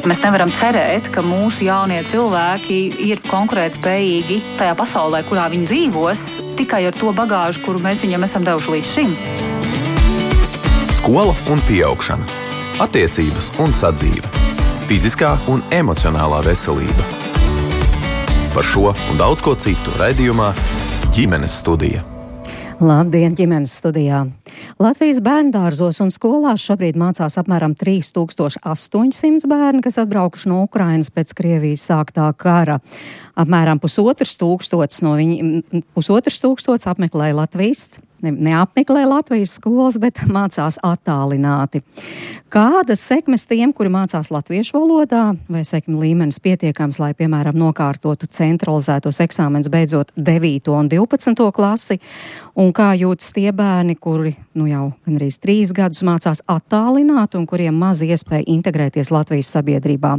Mēs nevaram cerēt, ka mūsu jaunie cilvēki ir konkurētspējīgi tajā pasaulē, kurā viņi dzīvos, tikai ar to bagāžu, kuru mēs viņam esam devuši līdz šim. Skola un pieaugšana, attiecības un sadzīve, fiziskā un emocionālā veselība. Par šo un daudz ko citu raidījumā Ģimenes studija. Labdien, ģimenes studijā! Latvijas bērndārzos un skolās šobrīd mācās apmēram 3800 bērni, kas atbraukuši no Ukrainas pēc Krievijas sāktā kara. Apmēram 1500 no viņiem apmeklē Latvijas, neapmeklē Latvijas skolas, bet mācās attālināti. Kādas sekmes tiem, kuri mācās latviešu valodā, vai sekmu līmenis pietiekams, lai, piemēram, nokārtotu centralizētos eksāmenus beidzot 9. un 12. klasi, un kā jūtas tie bērni, kuri jau gandrīz 3 gadus mācās attālināti un kuriem maz iespēja integrēties Latvijas sabiedrībā.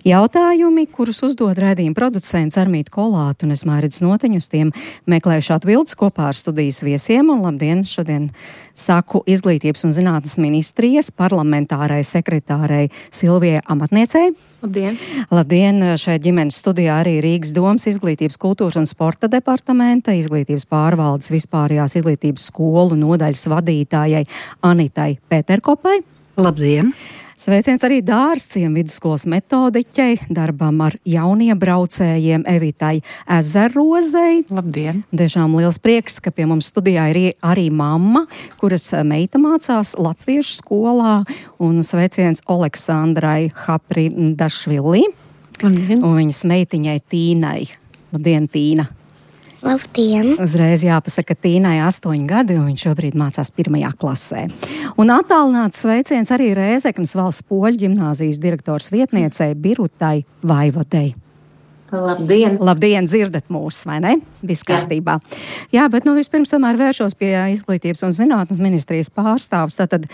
Jautājumi, kurus uzdod raidījuma producents Armīta Kolāte un es Mairidz Noteņu, uz tiem meklējuši atbildes kopā ar studijas viesiem. Un labdien, šodien saku Izglītības un zinātnes ministrijas parlamentārai sekretārei Silvijai Amatniecei. Labdien! Labdien! Šeit ģimenes studijā arī Rīgas domas Izglītības, kultūras un sporta departamenta, Izglītības pārvaldes vispārējās izglītības skolu nodaļas vadītājai Anitai Pēterkopai. Labdien! Sveiciens arī Dārzciem vidusskolas metodiķei, darbam ar jauniebraucējiem Evitai Ezerrozei. Labdien! Tiešām liels prieks, ka pie mums studijā ir arī mamma, kuras meita mācās latviešu skolā, un sveiciens Oleksandrai Haprindašvili un viņas meitiņai Tīnai. Labdien, Tīna! Labdien! Uzreiz jāpasaka, ka Tīnai 8 gadi, un viņš šobrīd mācās 1. klasē. Un attālināts sveiciens arī Rēzeknes valsts poļu ģimnāzijas direktors vietniecei Birutai Vaivodei. Labdien! Labdien, dzirdat mūs, vai ne? Viss kārtībā. Jā, bet vispirms tomēr vēršos pie Izglītības un zinātnes ministrijas pārstāvs. Tātad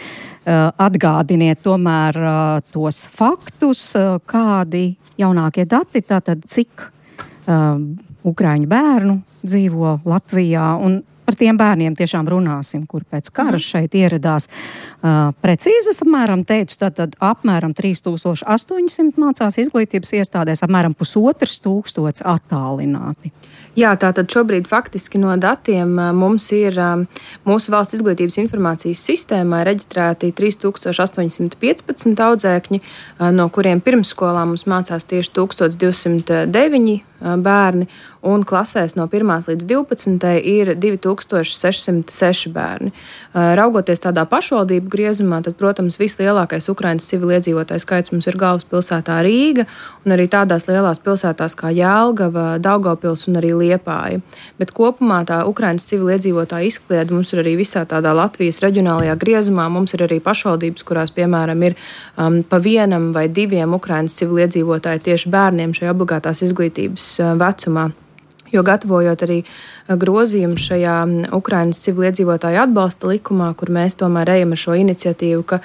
atgādiniet tomēr tos faktus, kādi jaunākie dati, tātad cik ukraiņu bērnu dzīvo Latvijā, un par tiem bērniem tiešām runāsim, kur pēc kara šeit ieradās. Precīzes apmēram teicu, tātad apmēram 3800 mācās izglītības iestādēs, apmēram 1500 attālināti. Jā, tātad šobrīd faktiski no datiem mums ir mūsu valsts izglītības informācijas sistēmā reģistrēti 3815 audzēkņi, no kuriem pirmsskolā mums mācās tieši 1209 bērni, un klasēs no 1. līdz 12. ir 2606 bērni. Raugoties tādā pašvaldību griezumā, tad, protams, vislielākais Ukrainas civiliedzīvotāju skaits mums ir galvaspilsētā Rīga, un arī tādās lielās pilsētās kā Jelgava, Daugavpils un arī Liepāja. Bet kopumā tā Ukrainas civiliedzīvotāju izkliede mums ir arī visā tādā Latvijas reģionālajā griezumā. Mums ir arī pašvaldības, kurās, piemēram, ir pa 1 vai 2 Ukrainas civiliedzīvotāji tieši bērniem šajā obligātās izglītības vecumā. Jo gatavojot arī grozījumu šajā Ukrainas civiliedzīvotāju atbalsta likumā, kur mēs tomēr ejam ar šo iniciatīvu, ka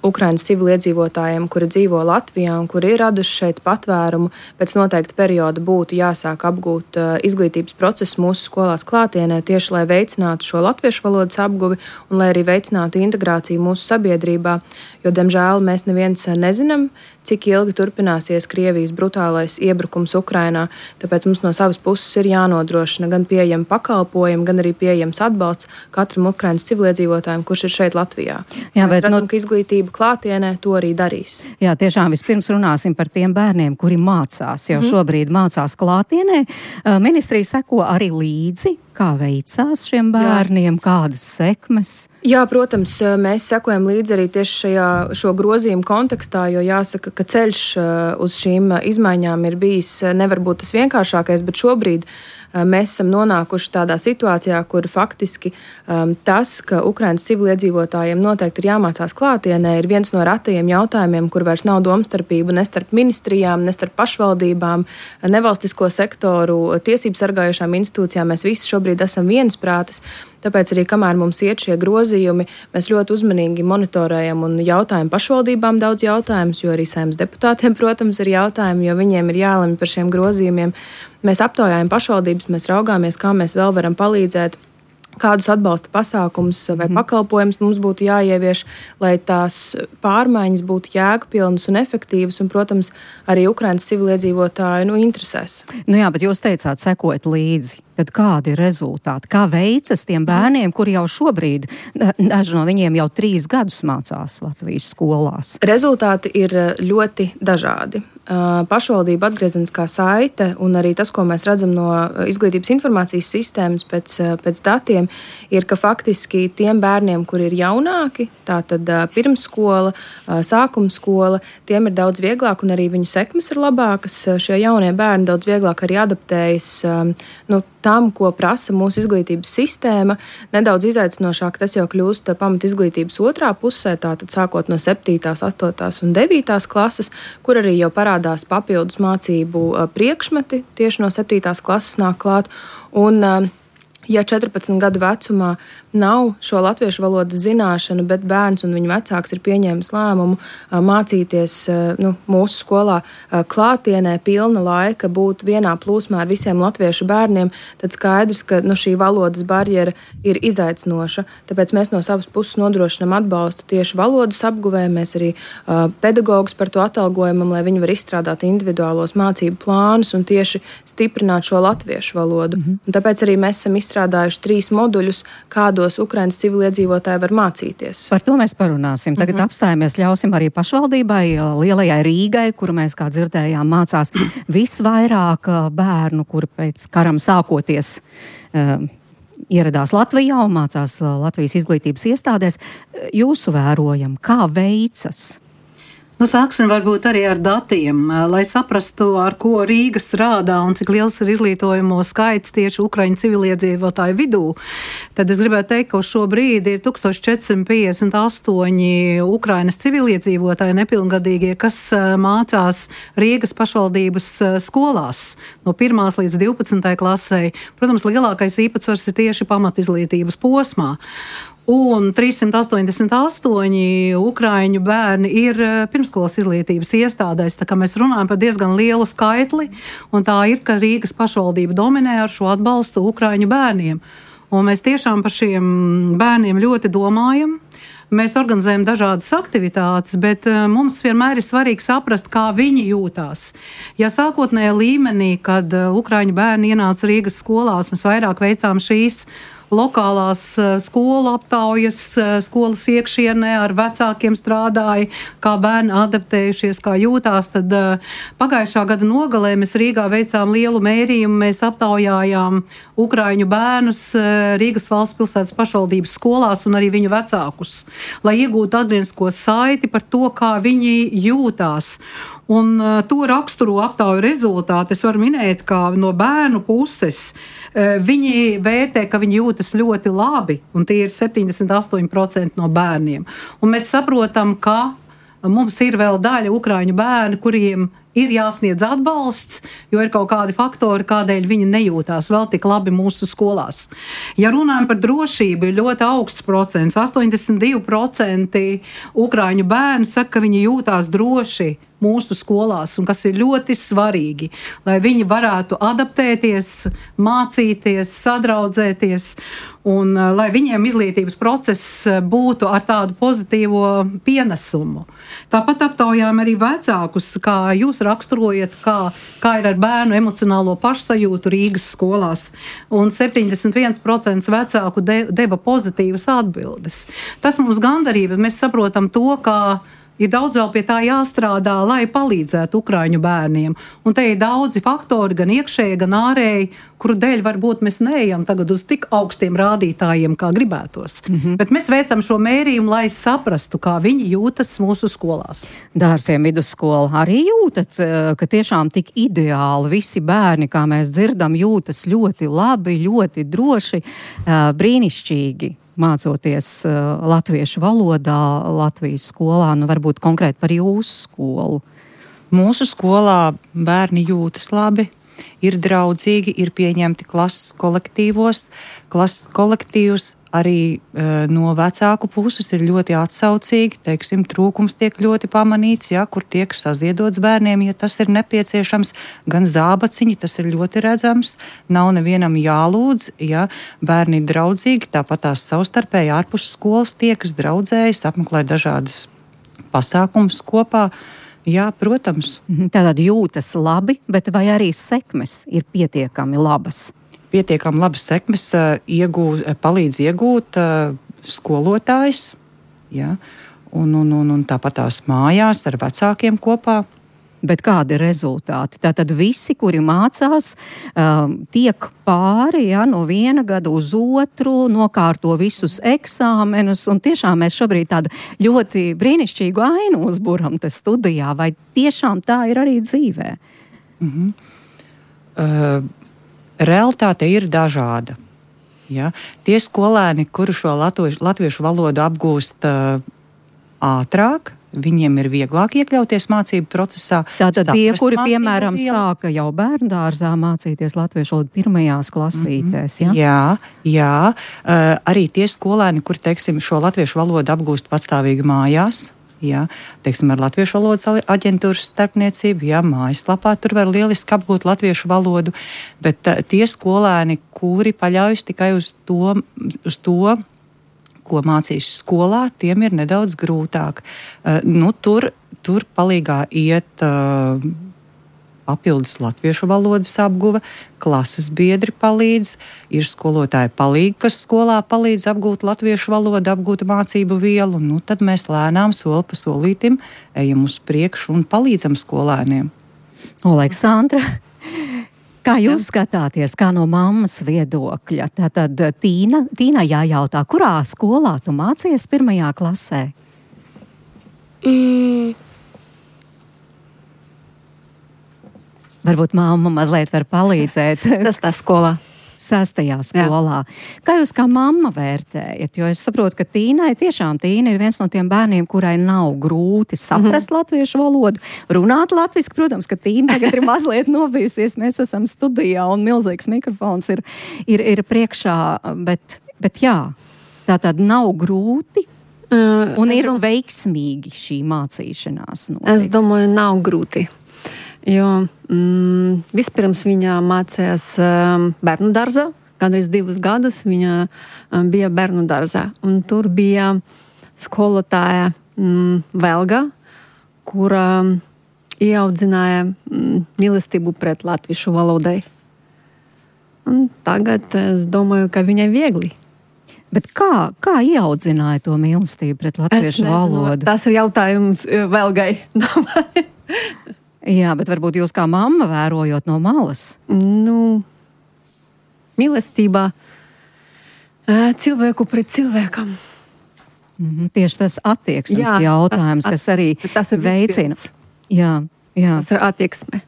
Ukrainas civiliedzīvotājiem, kuri dzīvo Latvijā un kuri ir raduši šeit patvērumu, pēc noteikta perioda būtu jāsāk apgūt izglītības procesu mūsu skolās klātienē, tieši lai veicinātu šo latviešu valodas apguvi un lai arī veicinātu integrāciju mūsu sabiedrībā, jo, diemžēl, mēs neviens nezinām, cik ilgi turpināsies Krievijas brutālais iebrukums Ukrainā, tāpēc mums no savas puses ir jānodrošina gan pieejami pakalpojumi, gan arī pieejams atbalsts katram Ukrainas civiliedzīvotājiem, kurš ir šeit Latvijā. Jā, mēs redzam, ka izglītība klātienē to arī darīs. Jā, tiešām vispirms runāsim par tiem bērniem, kuri mācās, jau šobrīd mācās klātienē. Ministrija seko arī līdzi, kā veicās šiem bērniem, kādas sekmes? Jā, protams, mēs sekojam līdzi arī tieši šo grozījumu kontekstā, jo jāsaka, ka ceļš uz šīm izmaiņām ir bijis nevar būt tas vienkāršākais, bet šobrīd mēs esam nonākuši tādā situācijā, kur faktiski tas, ka Ukrainas civiliedzīvotājiem noteikti ir jāmācās klātienē, ir viens no ratajiem jautājumiem, kur vairs nav domstarpību ne starp ministrijām, ne starp pašvaldībām, nevalstisko sektoru, tiesību sargājošām institūcijām. Mēs visi šobrīd esam viensprātis. Tāpēc arī, kamēr mums iet šie grozījumi, mēs ļoti uzmanīgi monitorējam un jautājam pašvaldībām daudz jautājumus, jo arī Saeimas deputātiem, protams, ir jautājumi, jo viņiem ir jālemj par šiem grozījumiem. Mēs aptaujājam pašvaldības, mēs raugāmies, kā mēs vēl varam palīdzēt, kādus atbalsta pasākumus vai pakalpojumus mums būtu jāievieš, lai tās pārmaiņas būtu jēgpilnas un efektīvas un, protams, arī Ukrainas civiliedzīvotāju interesēs. Jā, bet jūs teicāt, sekojat līdzi. Tad kādi ir rezultāti? Kā veicas tiem bērniem, kuri jau šobrīd, daži no viņiem jau 3 gadus mācās Latvijas skolās? Rezultāti ir ļoti dažādi. Pašvaldība atgriezeniskā saite un arī tas, ko mēs redzam no izglītības informācijas sistēmas pēc datiem, ir, ka faktiski tiem bērniem, kuri ir jaunāki, tātad pirmsskola, sākumskola, tiem ir daudz vieglāk un arī viņu sekmes ir labākas. Šie jaunie bērni daudz vieglāk arī adaptējas tam, ko prasa mūsu izglītības sistēma. Nedaudz izaicinošāk tas jau kļūst pamat izglītības otrā pusē, tātad sākot no 7., 8. un 9. klases, kur arī jau parādās papildus mācību priekšmeti tieši no 7. klases nāk klāt. Un, ja 14 gadu vecumā nav šo latviešu valodas zināšanu, bet bērns un viņa vecāks ir pieņēmis lēmumu mācīties mūsu skolā klātienē pilna laika, būt vienā plūsmā ar visiem latviešu bērniem, tad skaidrs, ka šī valodas barjera ir izaicinoša. Tāpēc mēs no savas puses nodrošinām atbalstu tieši valodas apguvē, mēs arī pedagogus par to atalgojumam, lai viņi var izstrādāt individuālos mācību plānus un tieši stiprināt šo latviešu valodu. Un tāpēc arī mēs esam izstrādājuši 3 moduļus, kādos Ukrainas civiliedzīvotāji var mācīties. Par to mēs parunāsim. Tagad apstājamies, ļausim arī pašvaldībai, lielajai Rīgai, kuru mēs, kā dzirdējām, mācās visvairāk bērnu, kuri pēc karam sākoties ieradās Latvijā un mācās Latvijas izglītības iestādēs. Jūsu vērojam, kā veicas? Sāksim varbūt arī ar datiem, lai saprastu, ar ko Rīga strādā un cik liels ir izglītojumu skaits tieši Ukraiņu civiliedzīvotāju vidū. Tad es gribētu teikt, ka uz šo brīdi ir 1458 Ukrainas civiliedzīvotāji nepilngadīgie, kas mācās Rīgas pašvaldības skolās no 1. līdz 12. klasei. Protams, lielākais īpatsvars ir tieši pamatizglītības posmā. Un 388 ukraiņu bērni ir pirmskolas izglītības iestādēs, tā kā mēs runājam par diezgan lielu skaitli, un tā ir, ka Rīgas pašvaldība dominē ar šo atbalstu ukraiņu bērniem. Un mēs tiešām par šiem bērniem ļoti domājam. Mēs organizējam dažādas aktivitātes, bet mums vienmēr ir svarīgi saprast, kā viņi jūtās. Ja sākotnējā līmenī, kad ukraiņu bērni ienāca Rīgas skolās, mēs vairāk veicām šīs lokālās skolu aptaujas, skolas iekšienē ar vecākiem strādāja, kā bērni adaptējušies, kā jūtās. Tad pagājušā gada nogalē mēs Rīgā veicām lielu mērījumu, mēs aptaujājām ukraiņu bērnus Rīgas valsts pilsētas pašvaldības skolās un arī viņu vecākus, lai iegūtu atgrieznisko saiti par to, kā viņi jūtās. Un to raksturo aptauju rezultāti. Es varu minēt, ka no bērnu puses viņi vērtē, ka viņi jūtas ļoti labi, un tie ir 78% no bērniem. Un mēs saprotam, ka mums ir vēl daļa ukraiņu bērni, kuriem ir jāsniedz atbalsts, jo ir kaut kādi faktori, kādēļ viņi nejūtās vēl tik labi mūsu skolās. Ja runājam par drošību, ir ļoti augsts procents. 82% ukraiņu bērni saka, ka viņi jūtās droši mūsu skolās, un kas ir ļoti svarīgi, lai viņi varētu adaptēties, mācīties, sadraudzēties, un lai viņiem izglītības process būtu ar tādu pozitīvo pienesumu. Tāpat aptaujām arī vecākus, kā jūs raksturojat, kā ir ar bērnu emocionālo pašsajūtu Rīgas skolās, un 71% vecāku deva pozitīvas atbildes. Tas mums gandarīja, bet mēs saprotam to, ka ir daudz vēl pie tā jāstrādā, lai palīdzētu ukraiņu bērniem. Un te ir daudzi faktori, gan iekšēji, gan ārēji, kuru dēļ varbūt mēs neejam tagad uz tik augstiem rādītājiem, kā gribētos. Bet mēs veicam šo mērījumu, lai saprastu, kā viņi jūtas mūsu skolās. Dārziem vidusskola arī jūtat, ka tiešām tik ideāli visi bērni, kā mēs dzirdam, jūtas ļoti labi, ļoti droši, brīnišķīgi. Mācoties latviešu valodā, Latvijas skolā, varbūt konkrēti par jūsu skolu? Mūsu skolā bērni jūtas labi, ir draudzīgi, ir pieņemti klases kolektīvos. Klases kolektīvs arī no vecāku puses ir ļoti atsaucīgi, teiksim, trūkums tiek ļoti pamanīts, ja, kur tiek saziedots bērniem, ja tas ir nepieciešams, gan zābaciņi, tas ir ļoti redzams, nav nevienam jālūdz, ja, bērni ir draudzīgi, tāpat tās savstarpēji ārpus skolas tiekas, draudzējas, apmeklē dažādas pasākumus kopā. Jā, protams. Tātad jūtas labi, bet vai arī sekmes ir pietiekami labas? Pietiekami labas sekmes palīdz iegūt skolotājs, ja, un tāpat tās mājās ar vecākiem kopā. Bet kādi ir rezultāti? Tātad visi, kuri mācās, tiek pāri, ja, no viena gada uz otru, nokārto visus eksāmenus, un tiešām mēs šobrīd tādu ļoti brīnišķīgu ainu uzburam te studijā, vai tiešām tā ir arī dzīvē? Realitāte ir dažāda. Ja? Tie skolēni, kuri šo latviešu valodu apgūst ātrāk, viņiem ir vieglāk iekļauties mācību procesā. Tātad tie, kuri, piemēram, sāka jau bērndārzā mācīties latviešu valodu pirmajās klasītēs, ja? Jā. Arī tie skolēni, kuri, teiksim, šo latviešu valodu apgūst patstāvīgi mājās, jā, teiksim, ar Latviešu valodas aģentūras starpniecību, jā, mājaslapā tur var lieliski apgūt latviešu valodu, bet tie skolēni, kuri paļaujas tikai uz to, ko mācīs skolā, tiem ir nedaudz grūtāk. Tur palīgā iet papildus latviešu valodas apguve, klases biedri palīdz, ir skolotāji palīgi, kas skolā palīdz apgūt latviešu valodu, apgūt mācību vielu, tad mēs lēnām soli pa solītim ejam uz priekšu un palīdzam skolēniem. Aleksandra, kā jūs skatāties, kā no mammas viedokļa? Tātad Tīna jājautā, kurā skolā tu mācies pirmajā klasē? Varbūt mamma mazliet var palīdzēt. Sastā skolā. Sastajā skolā. Jā. Kā jūs kā mamma vērtējat? Jo es saprotu, ka Tīna ir viens no tiem bērniem, kurai nav grūti saprast latviešu valodu, runāt latviski. Protams, ka Tīna tagad ir mazliet nobijusies. Mēs esam studijā un milzīgs mikrofons ir priekšā. Bet jā, tā tad nav grūti un ir veiksmīgi šī mācīšanās. Es domāju, nav grūti. Jo vispirms viņa mācījās bērnu dārzā, gandrīz 2 gadus viņa bija bērnu dārzā. Un tur bija skolotāja Velga, kura ieaudzināja mīlestību pret latviešu valodai. Un tagad es domāju, ka viņai viegli. Bet kā ieaudzināja to mīlestību pret latviešu valodu? Tas ir jautājums Velgai. Jā, bet varbūt jūs kā mamma vērojot no malas? Mīlestībā cilvēku pret cilvēkam. Tieši tas attieksmes jautājums, kas arī veicina. Jā. Tas ir attieksme.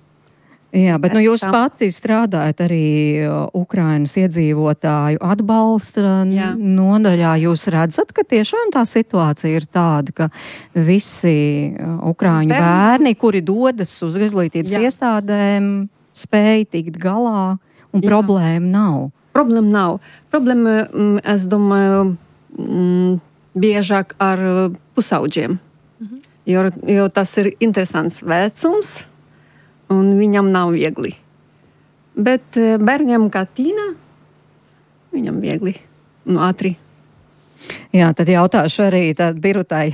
Jā, bet jūs pati strādājat arī Ukrainas iedzīvotāju atbalsta nodaļā. Jūs redzat, ka tiešām tā situācija ir tāda, ka visi ukraiņu bērni, kuri dodas uz izglītības iestādēm, spēj tikt galā un problēma nav? Problēma nav. Problēma, es domāju, biežāk ar pusauģiem. Jo tas ir interesants vecums. Un viņam nav viegli. Bet bērniem kā Tīna, viņam viegli un ātri. Jā, tad jautāšu arī Birutai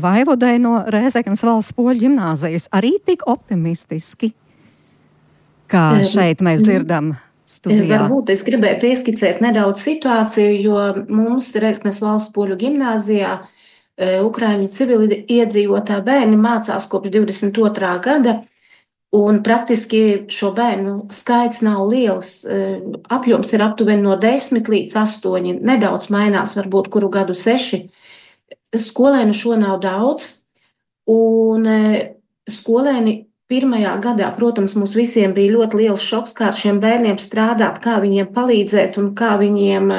Vaivodai no Rēzeknes valsts poļu ģimnāzijas. Arī tik optimistiski, kā šeit mēs dzirdam studijā. Varbūt es gribētu ieskicēt nedaudz situāciju, jo mums Rēzeknes valsts poļu ģimnāzijā Ukraiņu civili iedzīvotā bērni mācās kopš 22. gada. Un praktiski šo bērnu skaits nav liels. Apjoms ir aptuveni no 10 līdz 8. Nedaudz mainās, varbūt kuru gadu 6. Skolēnu šo nav daudz. Un skolēni pirmajā gadā, protams, mums visiem bija ļoti liels šoks, kā ar šiem bērniem strādāt, kā viņiem palīdzēt un kā viņiem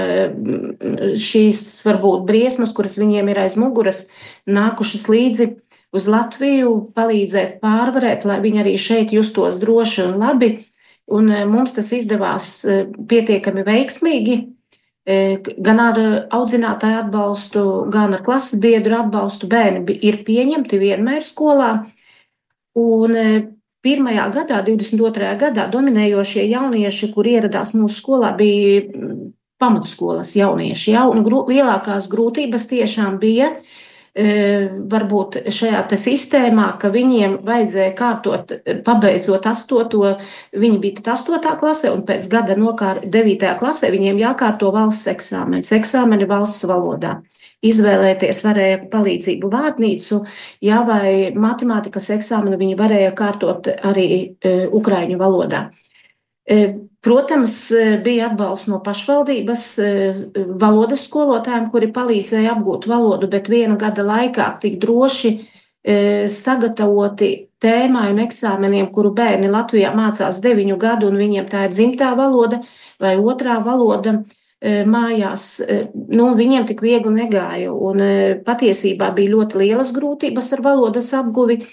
šīs varbūt briesmas, kuras viņiem ir aiz muguras, nākušas līdzi uz Latviju, palīdzēt pārvarēt, lai viņi arī šeit justos droši un labi. Un mums tas izdevās pietiekami veiksmīgi. gan ar audzinātāju atbalstu, gan ar klases biedru atbalstu bērni ir pieņemti vienmēr skolā. Un pirmajā gadā, 22. gadā, dominējošie jaunieši, kur ieradās mūsu skolā, bija pamatskolas jaunieši. Ja? Un lielākās grūtības tiešām bija varbūt šajā sistēmā, ka viņiem vajadzēja kārtot, pabeidzot 8. Viņi bija 8. klasē, un pēc gada 9. klasē viņiem jākārto valsts eksāmeni valsts valodā. Izvēlēties varēja palīdzību vārnīcu, ja, vai matemātikas eksāmenu viņi varēja kārtot arī ukraiņu valodā. Protams, bija atbalsts no pašvaldības valodas skolotājiem, kuri palīdzēja apgūt valodu, bet viena gada laikā tik droši sagatavoti tēmai un eksāmeniem, kuru bērni Latvijā mācās 9 gadu, un viņiem tā ir dzimtā valoda vai otrā valoda mājās, viņiem tik viegli negāja. Un patiesībā bija ļoti lielas grūtības ar valodas apguvi.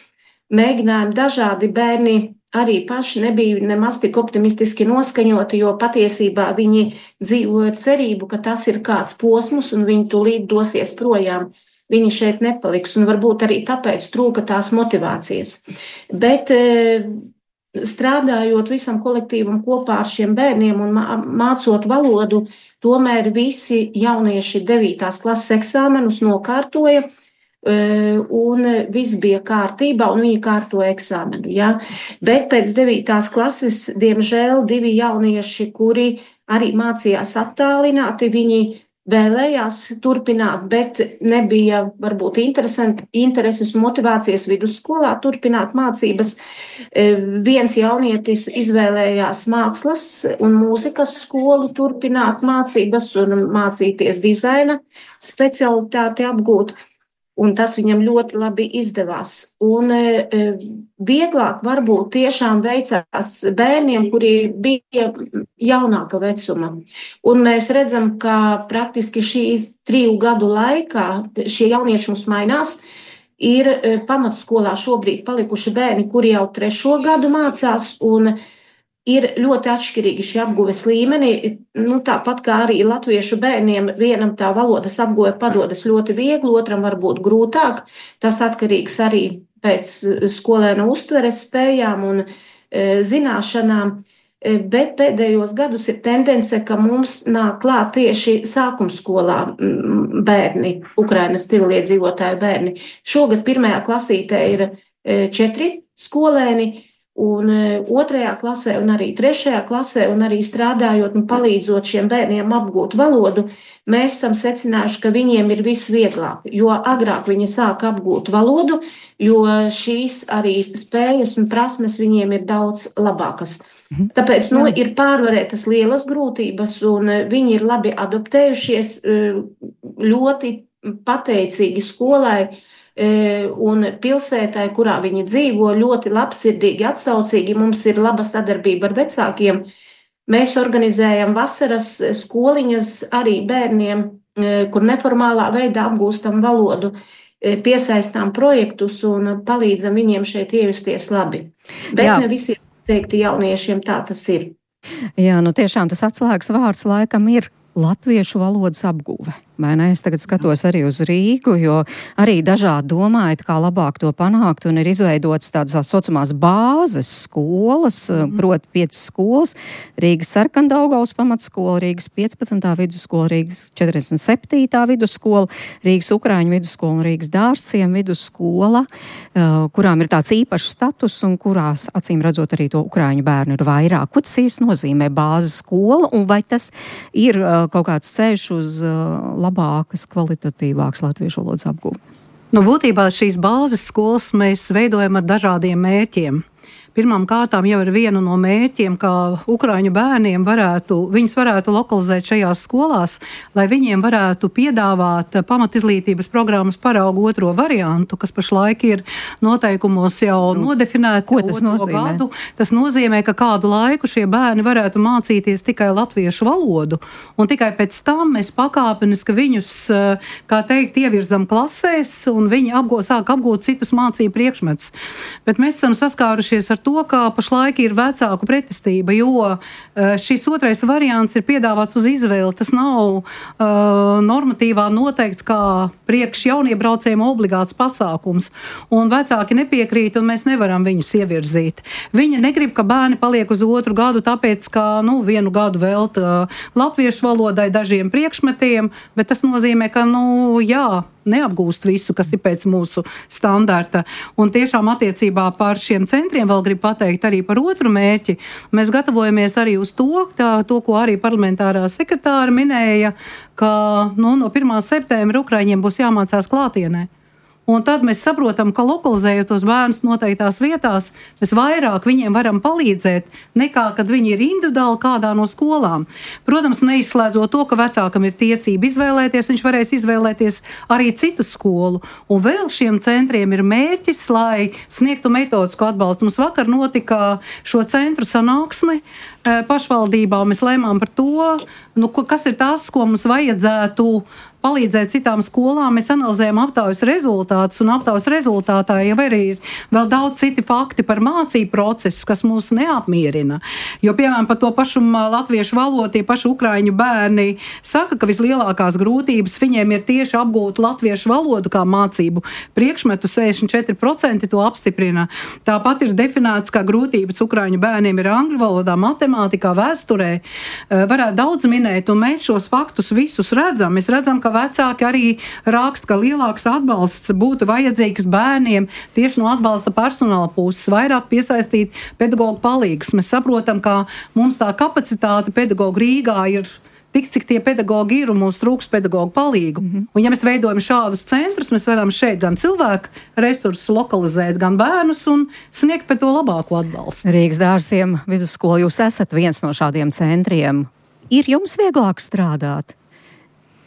Mēģinājumi dažādi, bērni arī paši nebija nemaz tik optimistiski noskaņoti, jo patiesībā viņi dzīvoja cerību, ka tas ir kāds posms un viņi tūlīt dosies projām. Viņi šeit nepaliks, un varbūt arī tāpēc trūka tās motivācijas. Bet strādājot visam kolektīvam kopā ar šiem bērniem un mācot valodu, tomēr visi jaunieši 9. klases eksāmenus nokārtoja, un viss bija kārtībā, un viņi kārtoja eksāmenu. Ja? Bet pēc 9. klases, diemžēl, 2 jaunieši, kuri arī mācījās attālināti, viņi vēlējās turpināt, bet nebija varbūt intereses un motivācijas vidusskolā turpināt mācības. Viens jaunietis izvēlējās mākslas un mūzikas skolu turpināt mācības un mācīties dizaina specialitāti apgūt. Un tas viņam ļoti labi izdevās. Un vieglāk varbūt tiešām veicās bērniem, kuri bija jaunāka vecuma. Un mēs redzam, ka praktiski šīs 3 gadu laikā šie jaunieši mums mainās. Ir pamatskolā šobrīd palikuši bērni, kuri jau 3. gadu mācās, un ir ļoti atšķirīgi šie apguves līmeni. Tāpat kā arī latviešu bērniem, vienam tā valodas apguve padodas ļoti viegli, otram varbūt grūtāk. Tas atkarīgs arī pēc skolēna uztveres spējām un zināšanām. Bet pēdējos gadus ir tendence, ka mums nāk klāt tieši sākumskolā bērni, Ukrainas civiliedzīvotāju bērni. Šogad 1. klasītē ir 4 skolēni, un 2. klasē, un arī 3. klasē, un arī strādājot un palīdzot šiem bērniem apgūt valodu, mēs esam secinājuši, ka viņiem ir visvieglāk, jo agrāk viņi sāk apgūt valodu, jo šīs arī spējas un prasmes viņiem ir daudz labākas. Tāpēc ir pārvarētas lielas grūtības, un viņi ir labi adaptējušies, ļoti pateicīgi skolai un pilsētai, kurā viņi dzīvo, ļoti labsirdīgi, atsaucīgi. Mums ir laba sadarbība ar vecākiem. Mēs organizējam vasaras skoliņas arī bērniem, kur neformālā veidā apgūstam valodu, piesaistām projektus un palīdzam viņiem šeit iejusties labi. Bet ne visiem teikti jauniešiem tā tas ir. Jā, tiešām tas atslēgas vārds laikam ir latviešu valodas apguve. Vai ne? Es tagad skatos arī uz Rīgu, jo arī dažādi domājat, kā labāk to panākt, un ir izveidotas tādas saucamās bāzes skolas, proti 5 skolas, Rīgas Sarkandaugavas pamatskola, Rīgas 15. vidusskola, Rīgas 47. vidusskola, Rīgas Ukraiņu vidusskola un Rīgas Dārzciem vidusskola, kurām ir tāds īpašs status un kurās, acīm redzot, arī to ukraiņu bērnu ir vairāk. Ko tas īsti nozīmē bāzes skola, un vai tas ir kaut kāds ceļš uz labākas, kvalitatīvākas latviešu valodas apgūve? Būtībā šīs bāzes skolas mēs veidojam ar dažādiem mērķiem. Pirmām kārtām jau ir viena no mērķiem, ka ukraiņu bērniem viņus varētu lokalizēt šajās skolās, lai viņiem varētu piedāvāt pamatizglītības programmas paraugu 2. variantu, kas pašlaik ir noteikumos jau nodefinēts. Ko tas nozīmē? Gadu. Tas nozīmē, ka kādu laiku šie bērni varētu mācīties tikai latviešu valodu, un tikai pēc tam mēs pakāpeniski viņus, kā teikt, ievirzam klasēs, un viņi sāk apgūt citus mācību priekšmetus. Bet mēs esam saskārušies sastapušies ar to, ka pašlaik ir vecāku pretestība, jo šis otrais variants ir piedāvāts uz izvēli. Tas nav normatīvā noteikts kā priekš jauniebraucējiem obligāts pasākums. Un vecāki nepiekrīt, un mēs nevaram viņus ievirzīt. Viņi negrib, ka bērni paliek uz otru gadu, tāpēc, ka vienu gadu velt latviešu valodai dažiem priekšmetiem, bet tas nozīmē, ka, neapgūst visu, kas ir pēc mūsu standarta. Un tiešām attiecībā par šiem centriem vēl gribu pateikt arī par otru mērķi. Mēs gatavojamies arī uz to, ko arī parlamentārā sekretāra minēja, ka no 1. septembra Ukraiņiem būs jāmācās klātienē. Un tad mēs saprotam, ka lokalizējot tos bērnus noteiktās vietās, mēs vairāk viņiem varam palīdzēt, nekā kad viņi ir individuāli kādā no skolām. Protams, neizslēdzot to, ka vecākam ir tiesība izvēlēties, viņš varēs izvēlēties arī citu skolu. Un vēl šiem centriem ir mērķis, lai sniegtu metodisku atbalstu. Mums vakar notika šo centru sanāksme pašvaldībā, un mēs lēmām par to, kas ir tas, ko mums vajadzētu palīdzēt citām skolām. Mēs analizējam aptaujas rezultātus, un aptaujas rezultātā jau arī ir vēl daudz citi fakti par mācību procesus, kas mūs neapmierina. Jo, piemēram, par to pašu latviešu valodu, tie paši ukraiņu bērni saka, ka vislielākās grūtības viņiem ir tieši apgūt latviešu valodu kā mācību priekšmetu, 64% to apstiprina. Tāpat ir definēts, kā grūtības ukraiņu bērniem ir angļu valodā, matemātikā, vēsturē. Varētu daudz minēt, un mēs šos faktus visus redzam. Mēs redzam, ka vecāki arī raksta, ka lielāks atbalsts būtu vajadzīgs bērniem tieši no atbalsta personāla puses, vairāk piesaistīt pedagogu palīgus. Mēs saprotam, ka mums tā kapacitāte pedagogu Rīgā ir tik, cik tie pedagogi ir, un mums trūks pedagogu palīgu. Un ja mēs veidojam šādus centrus, mēs varam šeit gan cilvēku resursus lokalizēt, gan bērnus un sniegt pēc to labāko atbalstu. Rīgas dārziem vidusskola, jūs esat viens no šādiem centriem. Ir jums vieglāk strādāt?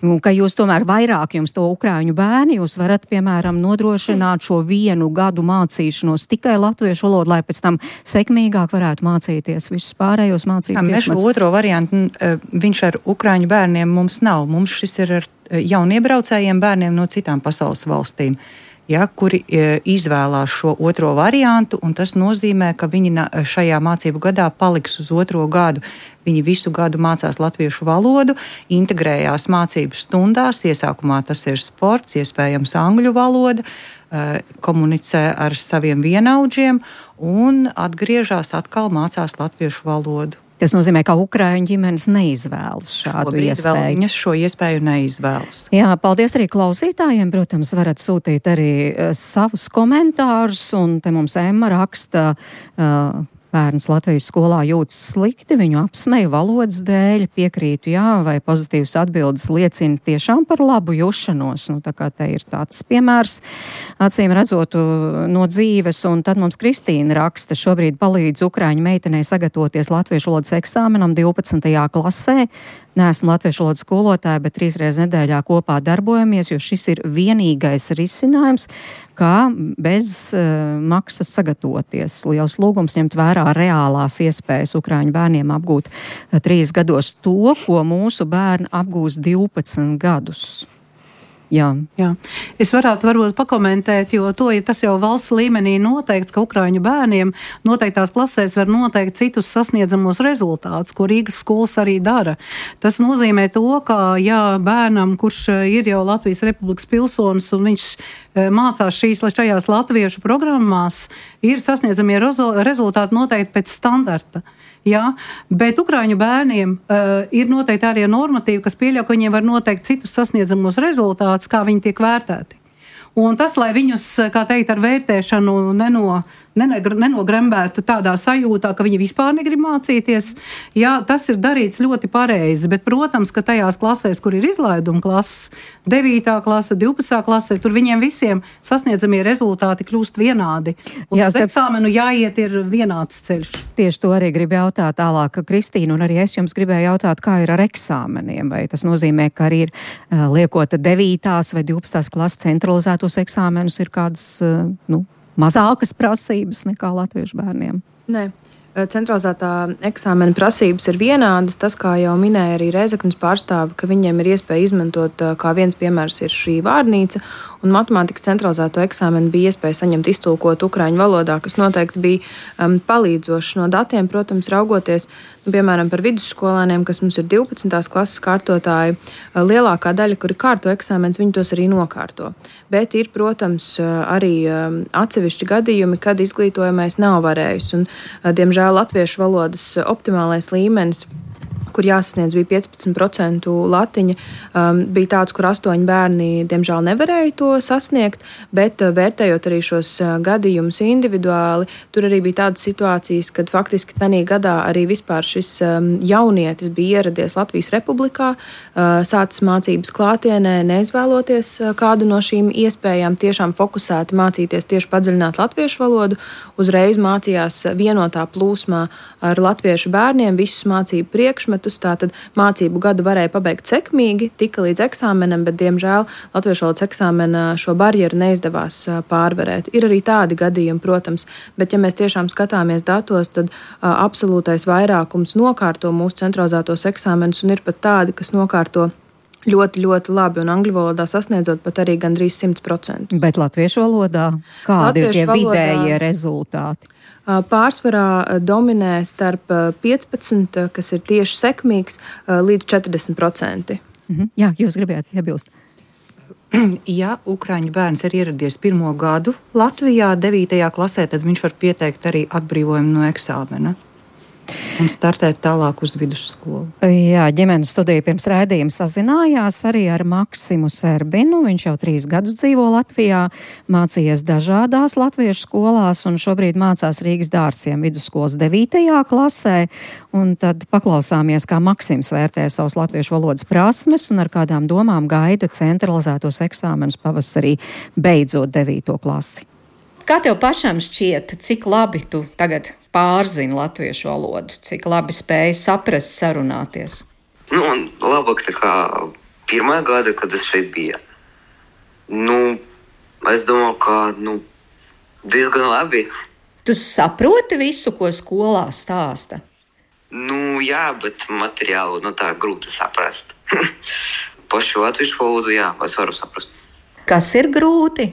Un ka jūs tomēr vairāk jums to ukraiņu bērni, jūs varat, piemēram, nodrošināt šo 1 gadu mācīšanos tikai latviešu valodu, lai pēc tam sekmīgāk varētu mācīties visus pārējos mācību priekšmetus. Mēs šo otro variantu, viņš ar ukraiņu bērniem mums nav. Mums šis ir ar jauniebraucējiem bērniem no citām pasaules valstīm. Kuri izvēlās šo otro variantu, un tas nozīmē, ka viņi šajā mācību gadā paliks uz otro gadu. Viņi visu gadu mācās latviešu valodu, integrējās mācību stundās, iesākumā tas ir sports, iespējams angļu valoda, komunicē ar saviem vienaudžiem un atgriežās atkal mācās latviešu valodu. Tas nozīmē, ka ukraiņu ģimenes neizvēlas šādu iespēju. Viņas šo iespēju neizvēlas. Jā, paldies arī klausītājiem. Protams, varat sūtīt arī savus komentārus, un te mums Emma raksta, bērns Latvijas skolā jūtas slikti, viņu apsmeja valodas dēļ, piekrītu jā, vai pozitīvas atbildes liecina tiešām par labu jušanos. Tā kā te ir tāds piemērs, acīm redzot no dzīves, un tad mums Kristīna raksta, šobrīd palīdz ukraiņu meitenei sagatavoties latviešu valodas eksāmenam 12. klasē. Neesmu latviešu valodas skolotāja, bet 3 reizes nedēļā kopā darbojamies, jo šis ir vienīgais risinājums, kā bez maksas sagatavoties. Liels lūgums ņemt vērā reālās iespējas ukraiņu bērniem apgūt 3 gados to, ko mūsu bērni apgūs 12 gadus. Jā. Es varētu varbūt pakomentēt, jo tas jau valsts līmenī noteikts, ka ukraiņu bērniem noteiktās klasēs var noteikt citus sasniedzamos rezultātus, ko Rīgas skolas arī dara. Tas nozīmē to, ka bērnam, kurš ir jau Latvijas Republikas pilsonis un viņš mācās šajās latviešu programmās, ir sasniedzamie rezultāti noteikti pēc standarta. Bet ukraiņu bērniem ir noteikti arī normatīvi, kas pieļauj, ka viņiem var noteikt citus sasniedzamos rezultātus, kā viņi tiek vērtēti. Un tas, lai viņus, kā teikt, ar vērtēšanu nenogrembētu tādā sajūtā, ka viņi vispār negrib mācīties, tas ir darīts ļoti pareizi. Bet, protams, ka tajās klasēs, kur ir izlaiduma klases, 9. klase, 12. klase, tur viņiem visiem sasniedzamie rezultāti kļūst vienādi. Un uz eksāmenu jāiet ir vienāds ceļš. Tieši to arī gribu jautāt tālāk, Kristīna, un arī es jums gribēju jautāt, kā ir ar eksāmeniem. Vai tas nozīmē, ka arī ir liekot 9. vai 12. klases centralizētos eksāmenus ir kādas, mazākas prasības nekā latviešu bērniem? Nē. Centralizētā eksāmena prasības ir vienādas. Tas, kā jau minēja arī Rēzeknes pārstāve, ka viņiem ir iespēja izmantot, kā viens piemērs ir šī vārnīca, un matemātikas centralizēto eksāmenu bija iespēja saņemt iztulkot ukraiņu valodā, kas noteikti bija palīdzoši no datiem, protams, raugoties, piemēram, par vidusskolēniem, kas mums ir 12. klases kārtotāji, lielākā daļa, kuri kārto eksāmenus, viņi tos arī nokārto. Bet ir, protams, arī atsevišķi gadījumi, kad izglītojamais nav varējis. Un, diemžēl latviešu valodas optimālais līmenis, kur jāsasniedz bija 15% latiņa, bija tāds, kur 8 bērni, diemžēl, nevarēja to sasniegt, bet vērtējot arī šos gadījumus individuāli, tur arī bija tādas situācijas, kad faktiski tanī gadā arī vispār šis jaunietis bija ieradies Latvijas Republikā, sācis mācības klātienē, neizvēloties kādu no šīm iespējām, tiešām fokusēti mācīties tieši padziļināt latviešu valodu, uzreiz mācījās vienotā plūsmā ar latviešu bērniem, visus mācību priekšmetus. Tātad mācību gadu varēja pabeigt sekmīgi, tika līdz eksāmenam, bet, diemžēl, latviešu valodas eksāmena šo barjeru neizdevās pārvarēt. Ir arī tādi gadījumi, protams, bet, ja mēs tiešām skatāmies datos, tad absolūtais vairākums nokārto mūsu centralizētos eksāmenus, un ir pat tādi, kas nokārto ļoti, ļoti labi, un angļu valodā sasniedzot pat arī gandrīz 100%. Bet latviešu valodā kādi ir tie vidējie rezultāti? Pārsvarā dominē starp 15, kas ir tieši sekmīgs, līdz 40%. Jā, jūs gribējāt iebilst. Ja ukraiņu bērns ir ieradies 1. gadu Latvijā 9. klasē, tad viņš var pieteikt arī atbrīvojumu no eksāmena un startēt tālāk uz vidusskolu. Jā, ģimenes studija pirms raidījuma sazinājās arī ar Maksimu Serbinu. Viņš jau 3 gadus dzīvo Latvijā, mācījies dažādās latviešu skolās un šobrīd mācās Rīgas Dārsiem vidusskolas 9. klasē. Un tad paklausāmies, kā Maksims vērtē savus latviešu valodas prasmes un ar kādām domām gaida centralizētos eksāmenus pavasarī, beidzot 9. klasi. Kā tev pašam šķiet, cik labi tu tagad pārzini latviešu valodu, cik labi spēji saprast, sarunāties? Labāk nekā 1. gada, kad es šeit biju. Es domāju, ka diezgan labi. Tu saproti visu, ko skolā stāsta? Jā, bet materiālu tā grūti saprast. Pašu latviešu valodu, jā, es varu saprast. Kas ir grūti?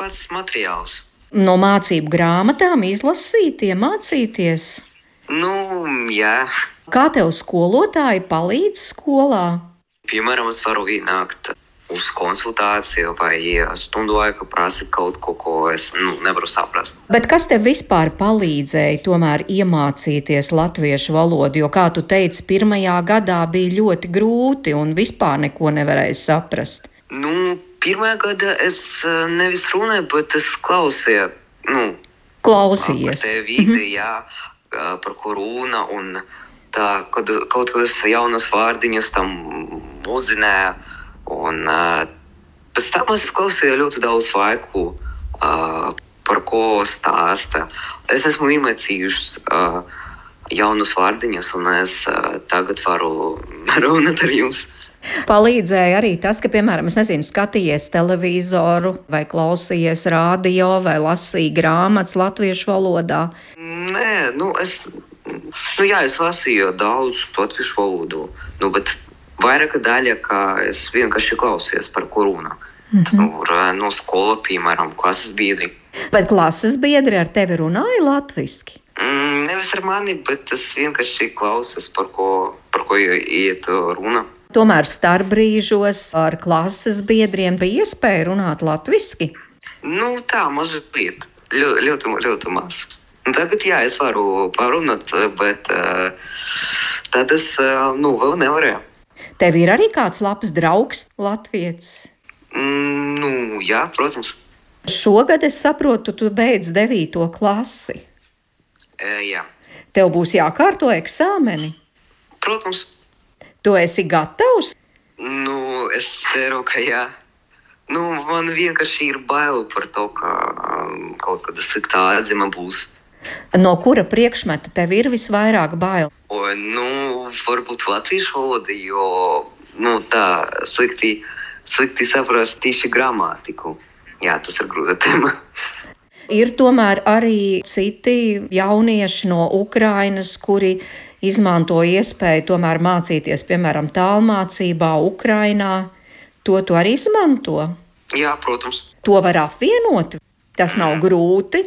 Pats materiāls. No mācību grāmatām izlasīt, iemācīties? Jā. Kā tev skolotāji palīdz skolā? Piemēram, es varu ienākt uz konsultāciju vai stundu laiku prasīt kaut ko es nevaru saprast. Bet kas tev vispār palīdzēja tomēr iemācīties latviešu valodu? Jo, kā tu teici, 1. gadā bija ļoti grūti un vispār neko nevarēja saprast. 1. gada es nevis runāju, bet es klausīju. Klausījies. Par te vidi, jā, par ko runa. Un tā, kaut kādas jaunas vārdiņus tam uzzināju. Un pēc tam es klausīju ļoti daudz laiku, par ko stāsta. Es esmu iemācījušas jaunus vārdiņus, un es tagad varu runāt ar jums. Palīdzēja arī tas, ka, piemēram, skatījies televizoru, vai klausījies radio, vai lasīji grāmatas latviešu valodā? Nē, es lasīju daudz latviešu valodu, bet vairāka daļa, ka es vienkārši klausījos, par ko runā. No skola, piemēram, klases biedri. Bet klases biedri ar tevi runāja latviski? Nevis ar mani, bet es vienkārši klausos, par ko iet runa. Tomēr starpbrīžos ar klases biedriem bija iespēja runāt latviski? Tā, mazliet. Ļoti maz. Tagad, jā, es varu parunāt, bet tad es vēl nevarēju. Tev ir arī kāds labs draugs latvietis? Jā, protams. Šogad es saprotu, tu beidz 9. klasi. Jā. Tev būs jākārto eksāmeni? Protams. Tu esi gatavs? Es ceru, ka jā. Man vienkārši ir bail par to, ka kaut kāda sliktā atzīme būs. No kura priekšmeta tev ir visvairāk bail? Varbūt latviešu valoda, jo tā slikti saprast tieši gramatiku. Jā, tas ir grūta tēma. Ir tomēr arī citi jaunieši no Ukrainas, kuri izmanto iespēju tomēr mācīties, piemēram, tālmācībā Ukrainā. To tu arī izmanto? Jā, protams. To var apvienot? Tas nav grūti?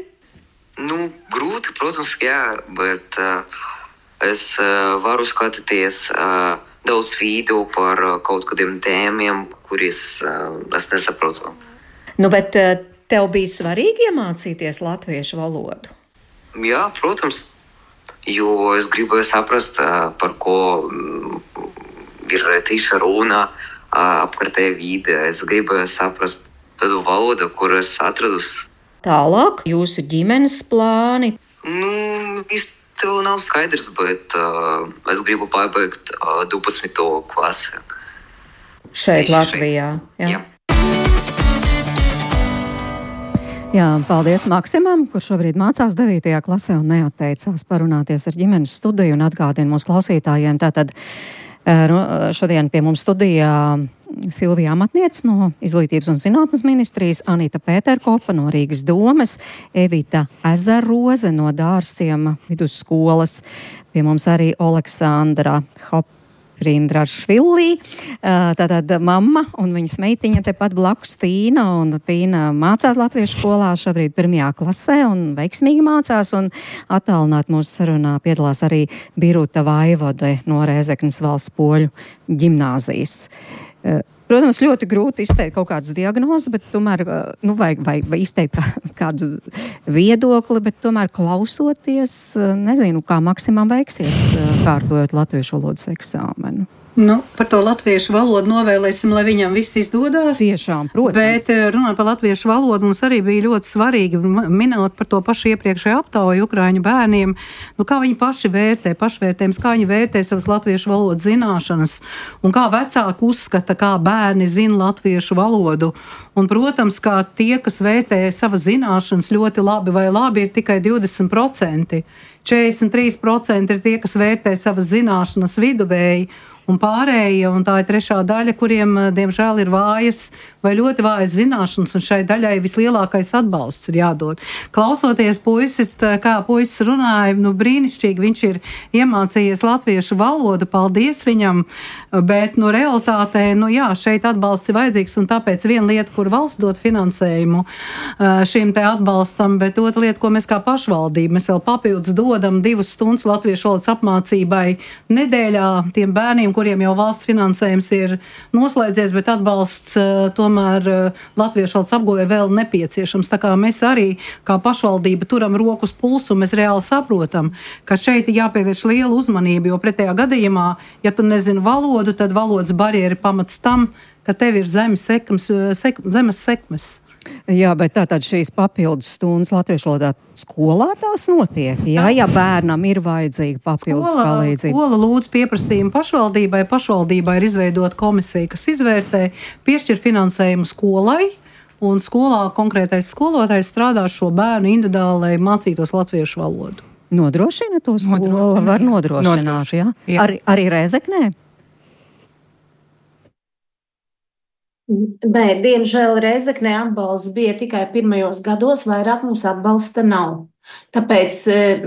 Grūti, protams, jā, bet es varu skatīties daudz video par kaut kādiem tēmiem, kuris es nesaprotu. Bet tev bija svarīgi iemācīties latviešu valodu? Jā, protams, jo es gribēju saprast, par ko ir tieši runa apkārtējā vide. Es gribēju saprast tādu valodu, kur es atradus. Tālāk jūsu ģimenes plāni? Īsti vēl nav skaidrs, bet es gribu pabeigt 12. klasi. Šeit Latvijā? Jā. Jā, paldies Maksimam, kurš šobrīd mācās 9. klasē un neatteicās parunāties ar ģimenes studiju un atgādina mūsu klausītājiem. Tātad šodien pie mums studijā Silvija Amatniece no Izglītības un zinātnes ministrijas, Anita Pēterkopa no Rīgas domes, Evita Ezeroze no Dārzciema vidusskolas, pie mums arī Oleksandra Rindrašvili, tātad mamma un viņas meitiņa tepat blakus Tīna, un Tīna mācās latviešu skolā šobrīd 1. klasē un veiksmīgi mācās, un attālināt mūsu sarunā piedalās arī Biruta Vaivode no Rēzeknes valsts poļu ģimnāzijas. Protams, ļoti grūti izteikt kaut kādas diagnozes, bet tomēr, vai izteikt kādu viedokli, bet tomēr klausoties, nezinu, kā Maksimam veiksies kārtojot latviešu valodas eksāmenu. Par to latviešu valodu novēlēsim, lai viņam viss izdodās. Tiešām, protams. Bet runājot par latviešu valodu, mums arī bija ļoti svarīgi minēt par to pašu iepriekšēju aptauju ukraiņu bērniem, kā viņi paši vērtē, pašvērtējums, kā viņi vērtē savas latviešu valodas zināšanas, un kā vecāki uzskata, kā bērni zina latviešu valodu. Un, protams, kā tie, kas vērtē savas zināšanas ļoti labi vai labi, ir tikai 20%. 43% ir tie, kas vērtē savas zināšanas viduvēji, un pārējie, un tā ir trešā daļa, kuriem, diemžēl, ir vājas vai ļoti vājas zināšanas, un šai daļai vislielākais atbalsts ir jādod. Klausoties puisis, kā puisis runāja, brīnišķīgi viņš ir iemācījies latviešu valodu, paldies viņam, bet, realitātē, šeit atbalsts ir vajadzīgs, un tāpēc viena lieta, kur valsts dod finansējumu šim te atbalstam, bet otra lieta, ko mēs kā pašvaldība, mēs vēl papildus dodam 2 stundas latviešu valodas apmācībai nedēļā tiem bērniem, kuriem jau valsts finansējums ir noslēdzies, bet atbalsts tomēr latviešu valodas apguvē vēl nepieciešams. Tā kā mēs arī kā pašvaldība turam roku uz pulsu, mēs reāli saprotam, ka šeit ir jāpievērš liela uzmanība, jo pretējā gadījumā, ja tu nezini valodu, tad valodas barjeri pamats tam, ka tev ir zemes sekmes. Jā, bet tātad šīs papildus stundas latviešu valodā skolā tās notiek, ja bērnam ir vajadzīga papildus palīdzība. Skola lūdz pieprasījumu pašvaldībai. Pašvaldībā ir izveidota komisija, kas izvērtē, piešķir finansējumu skolai, un skolā konkrētais skolotājs strādā šo bērnu individuāli, lai mācītos latviešu valodu. Nodrošina to skola? Var nodrošināt, jā? Arī Rēzeknē? Nē, diemžēl Rēzeknē atbalsts bija tikai pirmajos gados, vairāk mums atbalsta nav. Tāpēc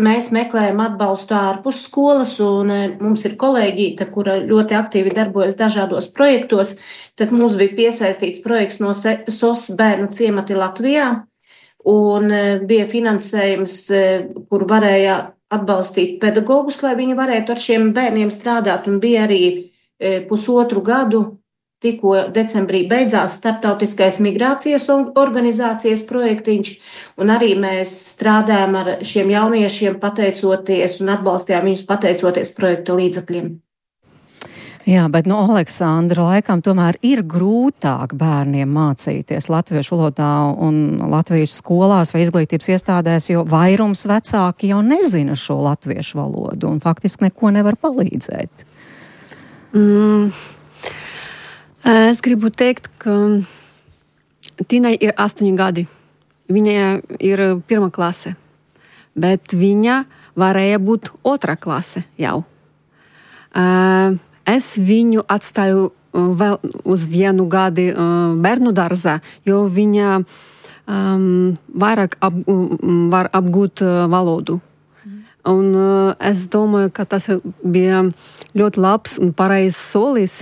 mēs meklējam atbalstu ārpus skolas, un mums ir kolēģīte, kura ļoti aktīvi darbojas dažādos projektos. Tad mums bija piesaistīts projekts no SOS bērnu ciemati Latvijā, un bija finansējums, kur varēja atbalstīt pedagogus, lai viņi varētu ar šiem bērniem strādāt, un bija arī 1,5 gadu. Tikko decembrī beidzās starptautiskais migrācijas organizācijas projektiņš, un arī mēs strādājam ar šiem jauniešiem pateicoties un atbalstījām viņus pateicoties projekta līdzekļiem. Jā, bet Aleksandra, laikam tomēr ir grūtāk bērniem mācīties latviešu valodā un Latvijas skolās vai izglītības iestādēs, jo vairums vecāki jau nezina šo latviešu valodu un faktiski neko nevar palīdzēt. Es gribu teikt, ka Tinai ir 8 gadi. Viņa ir 1. klase, bet viņa varēja būt 2. klase jau. Es viņu atstāju vēl uz 1 gadu bērnu dārzā, jo viņa vairāk var apgūt valodu. Un es domāju, ka tas bija ļoti labs un pareizs solis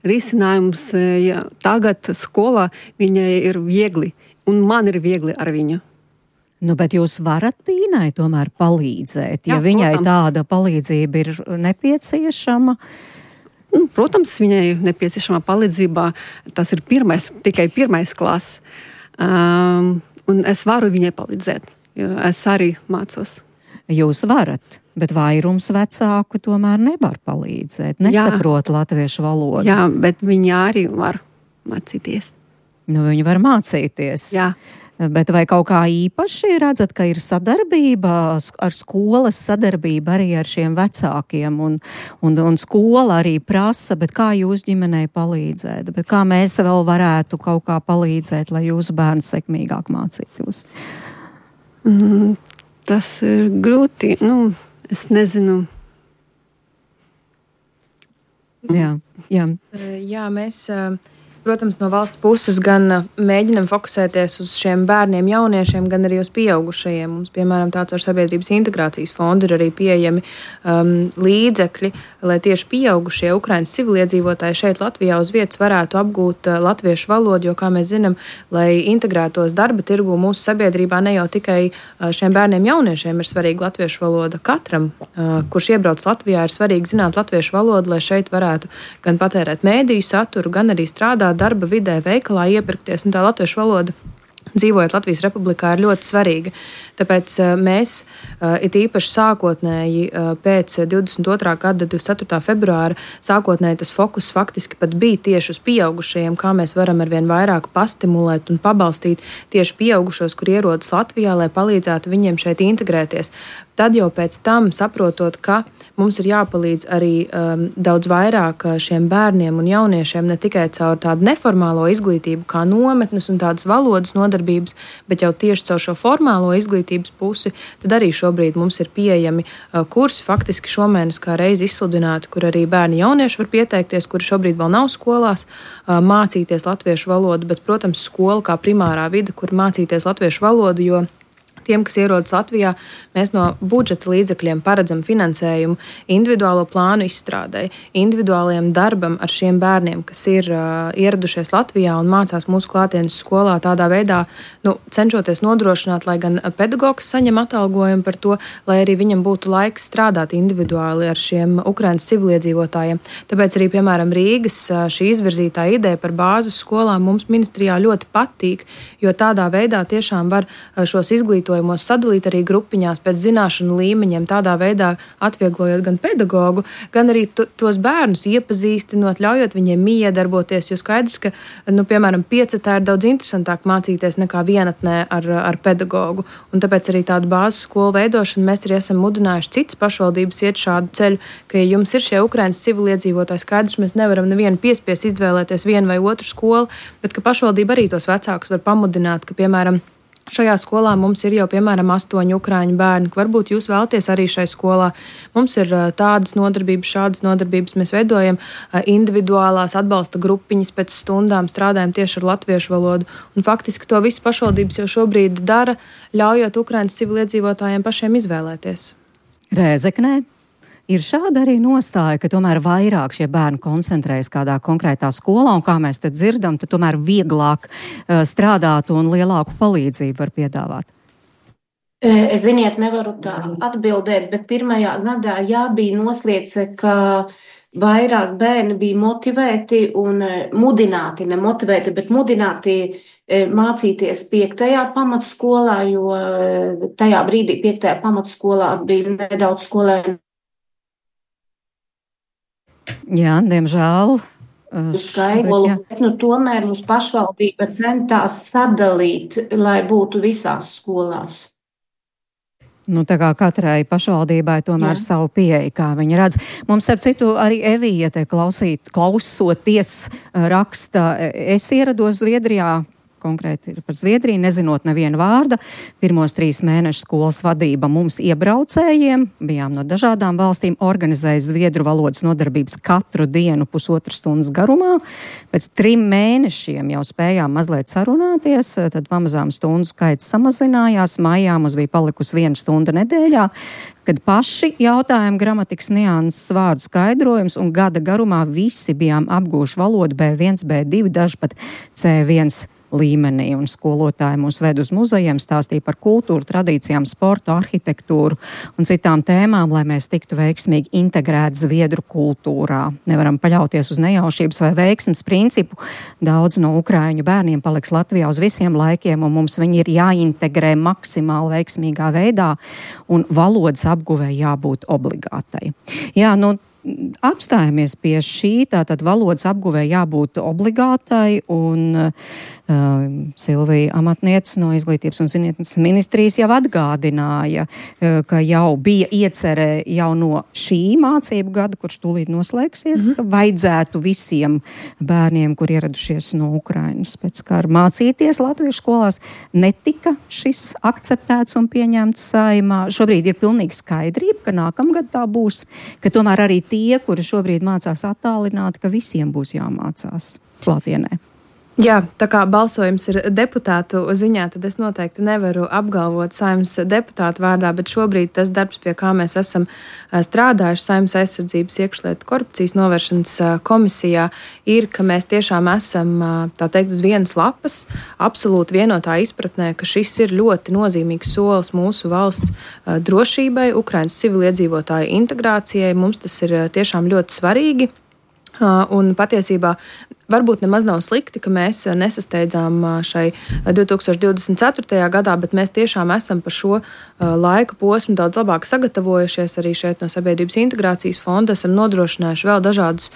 risinājums, ja tagad skolā viņai ir viegli, un man ir viegli ar viņu. Nu, bet jūs varat Tīnai tomēr palīdzēt, ja viņai tāda palīdzība ir nepieciešama? Protams, viņai nepieciešama palīdzība. Tas ir tikai pirmais klases. Un es varu viņai palīdzēt, jo es arī mācos. Jūs varat, bet vairums vecāku tomēr nevar palīdzēt, nesaprot latviešu valodu. Jā, bet viņi arī var mācīties. Nu, viņi var mācīties. Jā. Bet vai kaut kā īpaši redzat, ka ir sadarbība ar skolas sadarbība arī ar šiem vecākiem un skola arī prasa, bet kā jūs ģimenei palīdzēt, bet kā mēs vēl varētu kaut kā palīdzēt, lai jūsu bērns sekmīgāk mācītos? Tas ir grūti, es nezinu. Jā. Jā, mēs... Protams, no valsts puses gan mēģinam fokusēties uz šiem bērniem, jauniešiem, gan arī uz pieaugušajiem. Mums, piemēram, tāds ar Sabiedrības integrācijas fondu ir arī pieejami līdzekļi, lai tieši pieaugušie Ukrainas civiliedzīvotāji šeit Latvijā uz vietas varētu apgūt latviešu valodu, jo, kā mēs zinām, lai integrētos darba tirgu mūsu sabiedrībā, ne jau tikai šiem bērniem, jauniešiem ir svarīga latviešu valoda. Katram, kurš iebrauc Latvijā, ir svarīgi zināt latviešu valodu, lai šeit varētu gan patērēt mēdīju saturu, gan arī strādāt darba vidē, veikalā iepirkties, un tā latviešu valoda, dzīvojot Latvijas Republikā, ir ļoti svarīga. Tāpēc mēs, it īpaši sākotnēji pēc 22. gada 24. februāra, sākotnēji tas fokus faktiski pat bija tieši uz pieaugušajiem, kā mēs varam arvien vairāk pastimulēt un pabalstīt tieši pieaugušos, kur ierodas Latvijā, lai palīdzētu viņiem šeit integrēties. Tad jau pēc tam, saprotot, ka mums ir jāpalīdz arī daudz vairāk šiem bērniem un jauniešiem, ne tikai caur tādu neformālo izglītību, kā nometnes un tādas valodas nodarbības, bet jau tieši caur šo formālo izglītības pusi, tad arī šobrīd mums ir pieejami kursi, faktiski šomēnes kā reizi izsludināti, kur arī bērni jaunieši var pieteikties, kuri šobrīd vēl nav skolās, mācīties latviešu valodu, bet, protams, skola kā primārā vide, kur mācīties latviešu valodu, jo tiem, kas ierodas Latvijā, mēs no budžeta līdzekļiem paredzam finansējumu individuālo plānu izstrādei, individuālajiem darbam ar šiem bērniem, kas ir ieradušies Latvijā un mācās mūsu klātienes skolā tādā veidā, cenšoties nodrošināt, lai gan pedagogs saņem atalgojumu par to, lai arī viņam būtu laiks strādāt individuāli ar šiem Ukrainas civiliedzīvotājiem. Tāpēc arī, piemēram, Rīgas šī izvirzītā ideja par bāzes skolām mums ministrijā ļoti patīk, jo tādā veidā tiešām var šos izglītojumos sadalīt arī grupiņās pēc zināšanu līmeņiem, tādā veidā atvieglojot gan pedagogu, gan arī tos bērnus iepazīstinot, ļaujot viņiem iedarboties, jo skaidrs, ka, piemēram, piecetā ir daudz interesantāk mācīties nekā vienatnē ar pedagogu. Un tāpēc arī tādu bāzes skolu veidošanu mēs arī esam mudinājuši citas pašvaldības iet šādu ceļu, ka, ja jums ir šie Ukrainas civiliedzīvotāji, skaidrs, mēs nevaram nevienu piespiest izvēlēties vienu vai otru skolu, bet ka pašvaldība arī tos vecākus var pamudināt, ka, piemēram, šajā skolā mums ir jau, piemēram, 8 ukraiņu bērni, ka varbūt jūs vēlaties arī šai skolā. Mums ir tādas nodarbības, šādas nodarbības. Mēs veidojam individuālās atbalsta grupiņas pēc stundām, strādājam tieši ar latviešu valodu. Un faktiski to visu pašvaldības jau šobrīd dara, ļaujot Ukrainas civiliedzīvotājiem pašiem izvēlēties. Rēzeknē ir šāda arī nostāja, ka tomēr vairāk šie bērni koncentrējas kādā konkrētā skolā, un kā mēs te dzirdam, tad tomēr vieglāk strādāt un lielāku palīdzību var piedāvāt. Es, ziniet, nevaru tā atbildēt, bet pirmajā gadā bija noslēgts, ka vairāk bērni bija motivēti un mudināti, ne motivēti, bet mudināti mācīties 5. pamatskolā, jo tajā brīdī 5. pamatskolā bija nedaudz skolēni. Jā, diemžēl. Skaidru, bet tomēr mums pašvaldība centās sadalīt, lai būtu visās skolās. Tā kā katrai pašvaldībai tomēr savu pieeja, kā viņi redz. Mums, starp citu, arī Evija te klausoties raksta, es ierados Zviedrijā konkrēti ir par Zviedriju, nezinot nevienu vārda. Pirmos 3 mēnešus skolas vadība mums iebraucējiem, bijām no dažādām valstīm, organizēja zviedru valodas nodarbības katru dienu 1,5 stundas garumā. Pēc 3 mēnešiem jau spējām mazliet sarunāties, tad pamazām stundu skaits samazinājās, maijā mums bija palikusi 1 stunda nedēļā, kad paši jautājumi, gramatikas nianses, vārdu skaidrojums, un gada garumā visi bijām apgūši valodu B1, B2, daži pat C1 līmenī, un skolotāji mūs ved uz muzejiem, stāstīja par kultūru, tradīcijām, sportu, arhitektūru un citām tēmām, lai mēs tiktu veiksmīgi integrēti zviedru kultūrā. Nevaram paļauties uz nejaušības vai veiksmes principu. Daudz no ukraiņu bērniem paliks Latvijā uz visiem laikiem, un mums viņi ir jāintegrē maksimāli veiksmīgā veidā, un valodas apguvē jābūt obligātai. Jā, apstājamies pie šī, tātad valodas apguvē jābūt obligātai, un Silvija amatniece no Izglītības un zinātnes ministrijas jau atgādināja, ka jau bija iecerē jau no šī mācību gada, kurš tūlīt noslēgsies, ka vajadzētu visiem bērniem, kur ieradušies no Ukrainas pēc kara, mācīties latviešu skolās. Netika šis akceptēts un pieņemts Saeimā. Šobrīd ir pilnīgi skaidrība, ka nākamgad tā būs, ka tomēr arī tie, kuri šobrīd mācās attālināti, ka visiem būs jāmācās klātienē. Jā, tā kā balsojums ir deputātu ziņā, tad es noteikti nevaru apgalvot Saeimas deputātu vārdā, bet šobrīd tas darbs, pie kā mēs esam strādājuši Saeimas aizsardzības iekšlietu korupcijas novēršanas komisijā, ir, ka mēs tiešām esam, tā teikt, uz vienas lapas, absolūti vienotā izpratnē, ka šis ir ļoti nozīmīgs solis mūsu valsts drošībai, Ukrainas civiliedzīvotāju integrācijai. Mums tas ir tiešām ļoti svarīgi. Un patiesībā varbūt nemaz nav slikti, ka mēs nesasteidzām šai 2024. gadā, bet mēs tiešām esam par šo laika posmu daudz labāk sagatavojušies. Arī šeit no Sabiedrības integrācijas fonda esam nodrošinājuši vēl dažādus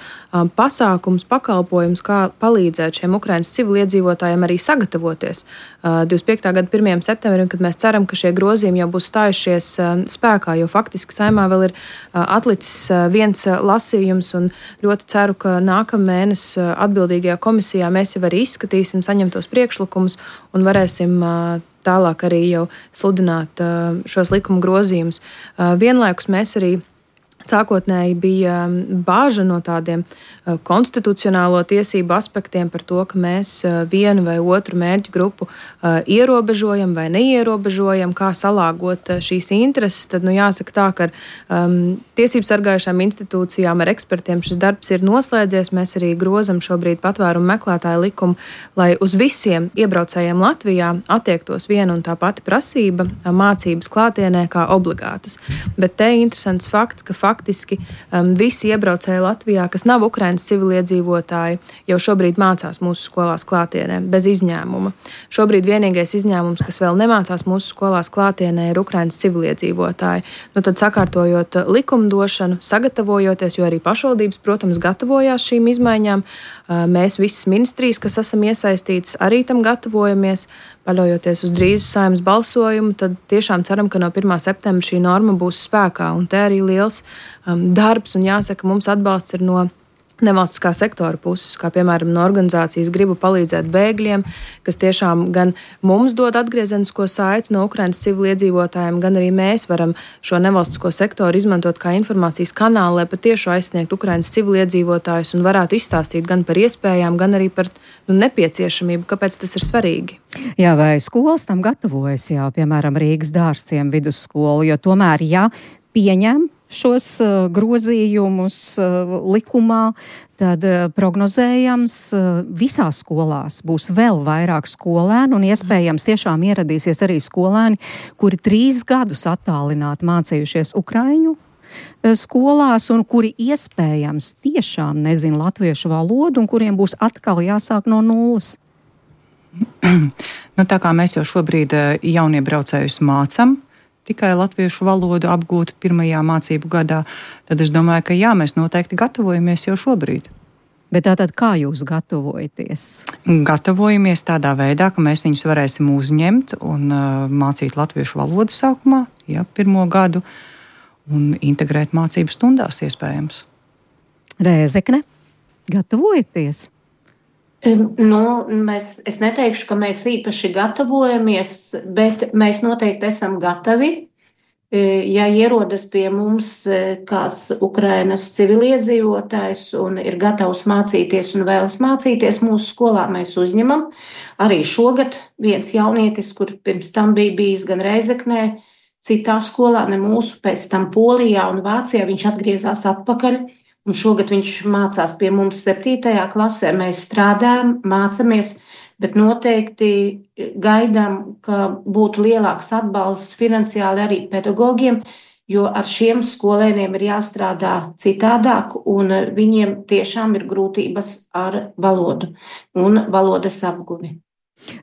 pasākumus, pakalpojumus, kā palīdzēt šiem Ukrainas civiliedzīvotājiem arī sagatavoties 25. gada 1. septembrim, kad mēs ceram, ka šie grozījumi jau būs stājušies spēkā, jo faktiski Saeimā vēl ir atlicis viens lasījums, un ļoti ceru, ka nākamēnes atbildīgajā komisijā mēs jau arī izskatīsim saņemtos priekšlikumus un varēsim tālāk arī jau sludināt šos likuma grozījumus. Vienlaikus mēs arī sākotnēji bija bāža no tādiem konstitucionālo tiesību aspektiem par to, ka mēs vienu vai otru mērķu grupu ierobežojam vai neierobežojam, kā salāgot šīs intereses. Tad jāsaka tā, ka ar tiesību sargājušām institūcijām, ar ekspertiem šis darbs ir noslēdzies. Mēs arī grozam šobrīd patvērumu meklētāju likumu, lai uz visiem iebraucējiem Latvijā attiektos viena un tā pati prasība mācības klātienē kā obligātas. Bet te interesants fakts, ka faktiski visi iebraucēji Latvijā, kas nav Ukrainas civiliedzīvotāji, jau šobrīd mācās mūsu skolās klātienē, bez izņēmuma. Šobrīd vienīgais izņēmums, kas vēl nemācās mūsu skolās klātienē, ir Ukrainas civiliedzīvotāji. Tad sakārtojot likumdošanu, sagatavojoties, jo arī pašvaldības, protams, gatavojās šīm izmaiņām, mēs visas ministrijas, kas esam iesaistītas, arī tam gatavojamies. Paļaujoties uz drīzu Saeimas balsojumu, tad tiešām ceram, ka no 1. septembra šī norma būs spēkā. Un te arī liels darbs, un jāsaka, mums atbalsts ir no nevalstiskā sektora puses, kā piemēram no organizācijas Gribu palīdzēt bēgļiem, kas tiešām gan mums dod atgriezenisko saiti no Ukrainas civiliedzīvotājiem, gan arī mēs varam šo nevalstisko sektoru izmantot kā informācijas kanālu, lai patieši aizsniegtu Ukrainas civiliedzīvotājus un varētu izstāstīt gan par iespējām, gan arī par nepieciešamību, kāpēc tas ir svarīgi. Jā, vai skolas tam gatavojas, piemēram, Rīgas Dārzciem vidusskolu, jo tomēr, pieņem šos grozījumus likumā, tad prognozējams visās skolās būs vēl vairāk skolēnu un iespējams tiešām ieradīsies arī skolēni, kuri 3 gadus attālināti mācījušies ukraiņu skolās un kuri iespējams tiešām nezin latviešu valodu un kuriem būs atkal jāsāk no nulles. Tā kā mēs jau šobrīd jauniebraucējus mācam, tikai latviešu valodu apgūt pirmajā mācību gadā, tad es domāju, ka mēs noteikti gatavojamies jau šobrīd. Bet tātad kā jūs gatavojaties? Gatavojamies tādā veidā, ka mēs viņus varēsim uzņemt un mācīt latviešu valodu sākumā, 1. gadu, un integrēt mācību stundās iespējams. Rēzekne, gatavojaties? Es neteikšu, ka mēs īpaši gatavojamies, bet mēs noteikti esam gatavi. Ja ierodas pie mums kāds Ukrainas civiliedzīvotājs un ir gatavs mācīties un vēlas mācīties mūsu skolā, mēs uzņemam. Arī šogad viens jaunietis, kur pirms tam bija bijis gan Reizeknē, citā skolā, ne mūsu, pēc tam Polijā un Vācijā, viņš atgriezās atpakaļ. Un šogad viņš mācās pie mums 7. klasē. Mēs strādājam, mācamies, bet noteikti gaidām, ka būtu lielāks atbalsts finansiāli arī pedagogiem, jo ar šiem skolēniem ir jāstrādā citādāk, un viņiem tiešām ir grūtības ar valodu un valodas apguvi.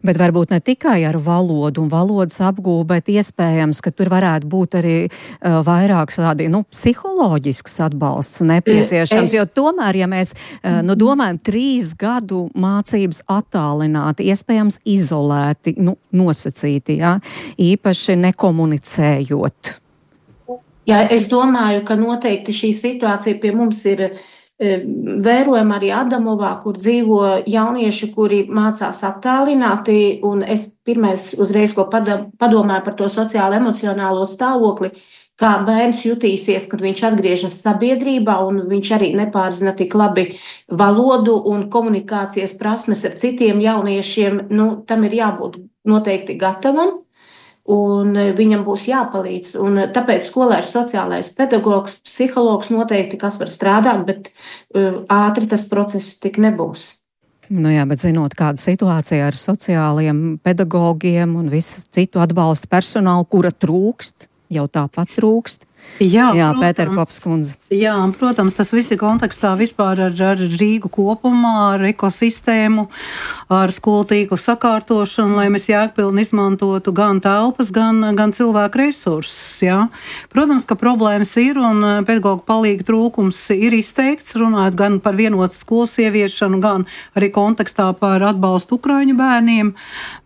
Bet varbūt ne tikai ar valodu un valodas apgūvu, bet iespējams, ka tur varētu būt arī vairāk tādi, psiholoģisks atbalsts nepieciešams, jo tomēr, ja mēs domājam 3 gadu mācības attālināti, iespējams izolēti, nosacīti, īpaši nekomunicējot. Jā, es domāju, ka noteikti šī situācija pie mums ir vērojam arī Adamovā, kur dzīvo jaunieši, kuri mācās attālināti, un es pirmais uzreiz, ko padomāju par to sociālo emocionālo stāvokli, kā bērns jutīsies, kad viņš atgriežas sabiedrībā, un viņš arī nepārzina tik labi valodu un komunikācijas prasmes ar citiem jauniešiem, tam ir jābūt noteikti gatavam. Un viņam būs jāpalīdz. Un tāpēc skolēns, sociālais pedagogs, psihologs noteikti, kas var strādāt, bet ātri tas process tik nebūs. Jā, bet zinot, kāda situācija ar sociālajiem pedagogiem un visu citu atbalsta personālu, kura trūkst, jau tāpat trūkst. Jā, Pēter Kopskundze. Jā, protams, tas viss ir kontekstā vispār ar Rīgu kopumā, ar ekosistēmu, ar skolu tīkla sakārtošanu, lai mēs jēgpilni izmantotu gan telpas, gan cilvēku resursus. Jā. Protams, ka problēmas ir un pedagoģu palīga trūkums ir izteikts, runājot gan par vienotu skolas ieviešanu, gan arī kontekstā par atbalstu ukraiņu bērniem,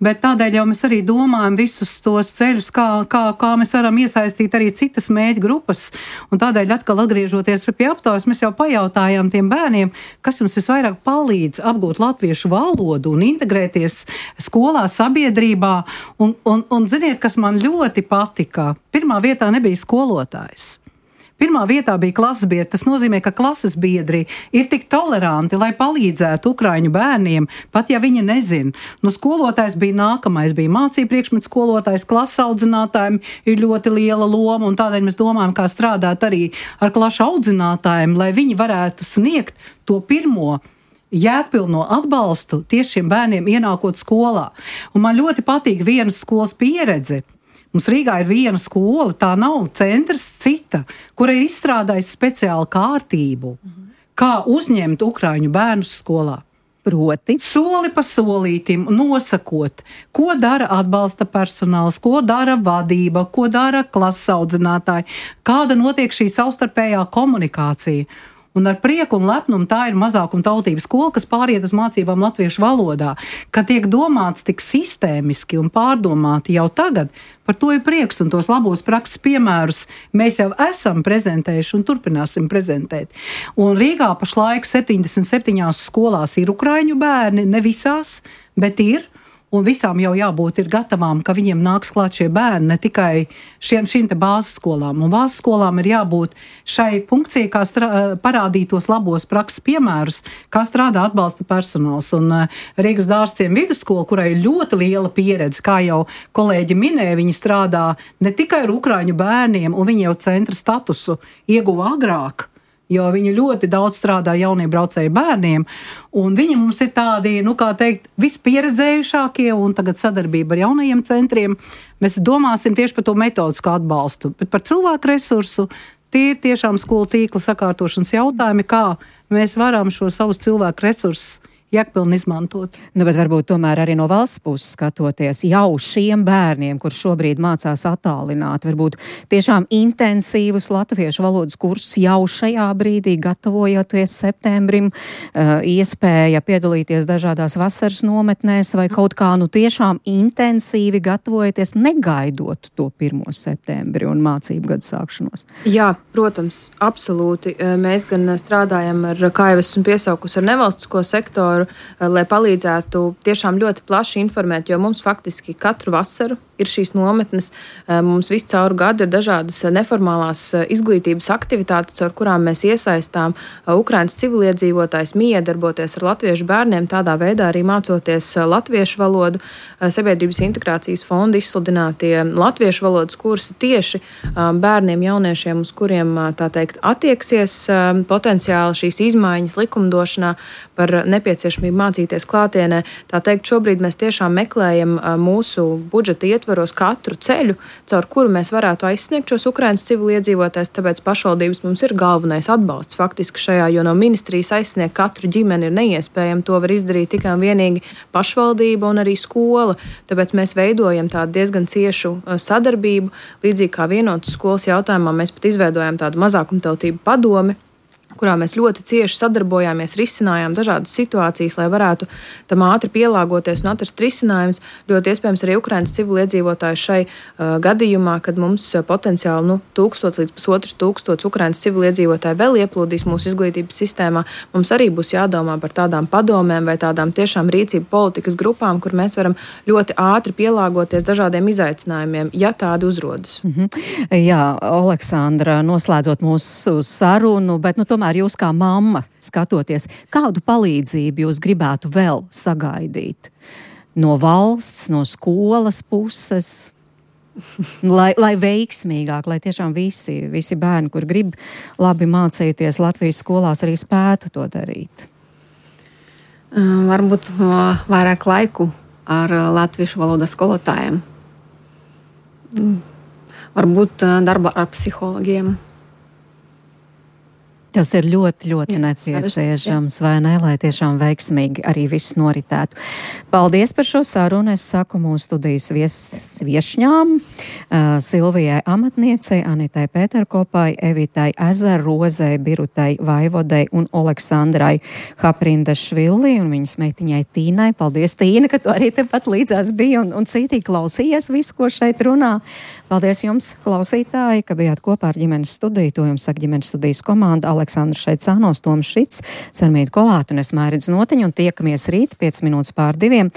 bet tādēļ jau mēs arī domājam visus tos ceļus, kā mēs varam iesaistīt arī citas mēģi grupas, un tādēļ atkal atgriežoties pie aptaujas, mēs jau pajautājām tiem bērniem, kas jums visvairāk palīdz apgūt latviešu valodu un integrēties skolā, sabiedrībā, un ziniet, kas man ļoti patika, pirmā vietā nebija skolotājs. Pirmā vietā bija klases biedri. Tas nozīmē, ka klases biedri ir tik toleranti, lai palīdzētu ukraiņu bērniem, pat ja viņi nezin. Skolotājs bija nākamais, bija mācību priekšmetu skolotājs, klases audzinātājiem ir ļoti liela loma, un tādēļ mēs domājam, kā strādāt arī ar klašu audzinātājiem, lai viņi varētu sniegt to pirmo jēgpilno atbalstu tieši šiem bērniem ienākot skolā. Un man ļoti patīk vienas skolas pieredze. Mums Rīgā ir viena skola, tā nav centrs, cita, kura ir izstrādājusi speciālu kārtību, kā uzņemt ukraiņu bērnus skolā. Proti? Soli pa solītim, nosakot, ko dara atbalsta personāls, ko dara vadība, ko dara klases audzinātāji, kāda notiek šī savstarpējā komunikācija. Un ar prieku un lepnumu tā ir mazākuma tautības skola, kas pāriet uz mācībām latviešu valodā, ka tiek domāts tik sistēmiski un pārdomāti jau tagad. Par to ir prieks, un tos labos prakses piemērus mēs jau esam prezentējuši un turpināsim prezentēt. Un Rīgā pašlaik 77 skolās ir ukraiņu bērni, ne visās, bet ir. Un visām jau jābūt ir gatavām, ka viņiem nāks klāt šie bērni, ne tikai šīm te bāzes skolām. Un bāzes skolām ir jābūt šai funkcijai, kā parādīt tos labos prakses piemērus, kā strādā atbalsta personāls. Un Rīgas Dārzciem vidusskola, kurai ir ļoti liela pieredze, kā jau kolēģi minēja, viņi strādā ne tikai ar ukraiņu bērniem, un viņi jau centra statusu ieguva agrāk, jo viņi ļoti daudz strādā jauniebraucēju bērniem, un viņi mums ir tādi, vispieredzējušākie, un tagad sadarbība ar jaunajiem centriem. Mēs domāsim tieši par to metodisko atbalstu, bet par cilvēku resursu tie ir tiešām skolu tīkla sakārtošanas jautājumi, kā mēs varam šo savus cilvēku resursus jēgpilni izmantot. Bet varbūt tomēr arī no valsts puses skatoties jau šiem bērniem, kur šobrīd mācās attālināti, varbūt tiešām intensīvus latviešu valodas kursus jau šajā brīdī, gatavojoties septembrim, iespēja piedalīties dažādās vasaras nometnēs vai kaut kā tiešām intensīvi gatavojoties, negaidot to 1. septembri un mācību gadu sākšanos. Jā, protams, absolūti. Mēs gan strādājam ar, kā jau esmu piesaukusi, ar nevalstisko sektoru, sektoru, lai palīdzētu tiešām ļoti plaši informēt, jo mums faktiski katru vasaru ir šīs nometnes. Mums visu cauru gadu ir dažādas neformālās izglītības aktivitātes, ar kurām mēs iesaistām Ukrainas civiliedzīvotājus miedarboties ar latviešu bērniem, tādā veidā arī mācoties latviešu valodu. Sabiedrības integrācijas fonda izsludinātie latviešu valodas kursi tieši bērniem, jauniešiem, uz kuriem, tā teikt, attieksies potenciāli šīs izmaiņas likumdošanā par nepieciešamību mācīties klātienē. Tā teikt, šobrīd mēs tiešām meklējam mūsu budžeta ietvaros katru ceļu, caur kuru mēs varētu aizsniegt šos Ukrainas civiliedzīvotājus, tāpēc pašvaldības mums ir galvenais atbalsts faktiski šajā, jo no ministrijas aizsniegt katru ģimeni ir neiespējami, to var izdarīt tikai un vienīgi pašvaldība un arī skola, tāpēc mēs veidojam tādu diezgan ciešu sadarbību, līdzīgi kā vienotas skolas jautājumā mēs pat izveidojam tādu mazākumtautību padomi, kurā mēs ļoti cieši sadarbojāmies, risinājām dažādas situācijas, lai varētu tam ātri pielāgoties un atrast risinājumus. Ļoti iespējams arī Ukrainas civiliedzīvotāji šai gadījumā, kad mums potenciāli 1000 līdz 1500 Ukrainas civiliedzīvotāji vēl ieplūdīs mūsu izglītības sistēmā, mums arī būs jādomā par tādām padomēm vai tādām tiešām rīcību politikas grupām, kur mēs varam ļoti ātri pielāgoties dažādiem izaicinājumiem, ja tādi uzrodas. Jā, Oleksandra, noslēdzot mūsu sarunu, bet tomēr jūs kā mamma skatoties, kādu palīdzību jūs gribētu vēl sagaidīt no valsts, no skolas puses, lai veiksmīgāk, lai tiešām visi bērni, kur grib labi mācīties Latvijas skolās, arī spētu to darīt? Varbūt vairāk laiku ar latviešu valodas skolotājiem. Varbūt darba ar psihologiem. Tas ir ļoti, ļoti nepieciešams, vai ne, lai tiešām veiksmīgi arī viss noritētu. Paldies par šo sarunu. Es saku mūsu studijas viešņām, Silvijai Amatniecei, Anitai Pēterkopai, Evitai Ezerrozei, Birutai Vaivodei un Oleksandrai Haprindašvili un viņas meitiņai Tīnai. Paldies, Tīna, ka tu arī tepat līdzās biji un cītīgi klausījies visu, ko šeit runā. Paldies jums, klausītāji, ka bijāt kopā ar ģimenes studiju. To jums saka ģimenes studijas komanda. Aleksandrs Šeicānos, Toms Šits, Sarmīta Kolāta un es Mairidz Notiņa, un tiekamies rīt 5:05.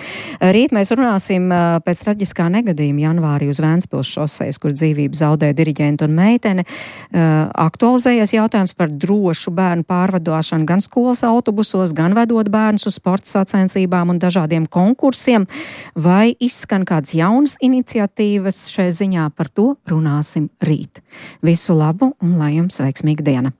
Rīt mēs runāsim pēc traģiskā negadījuma janvārī uz Vēncpils šosejas, kur dzīvību zaudēja diriģenta un meitene. Aktualizējies jautājums par drošu bērnu pārvadošanu gan skolas autobusos, gan vedot bērnus uz sporta sacensībām un dažādiem konkursiem. Vai izskan kādas jaunas iniciatīvas šai ziņā? Par to runāsim rīt. Visu labu un lai jums veiksmīga diena!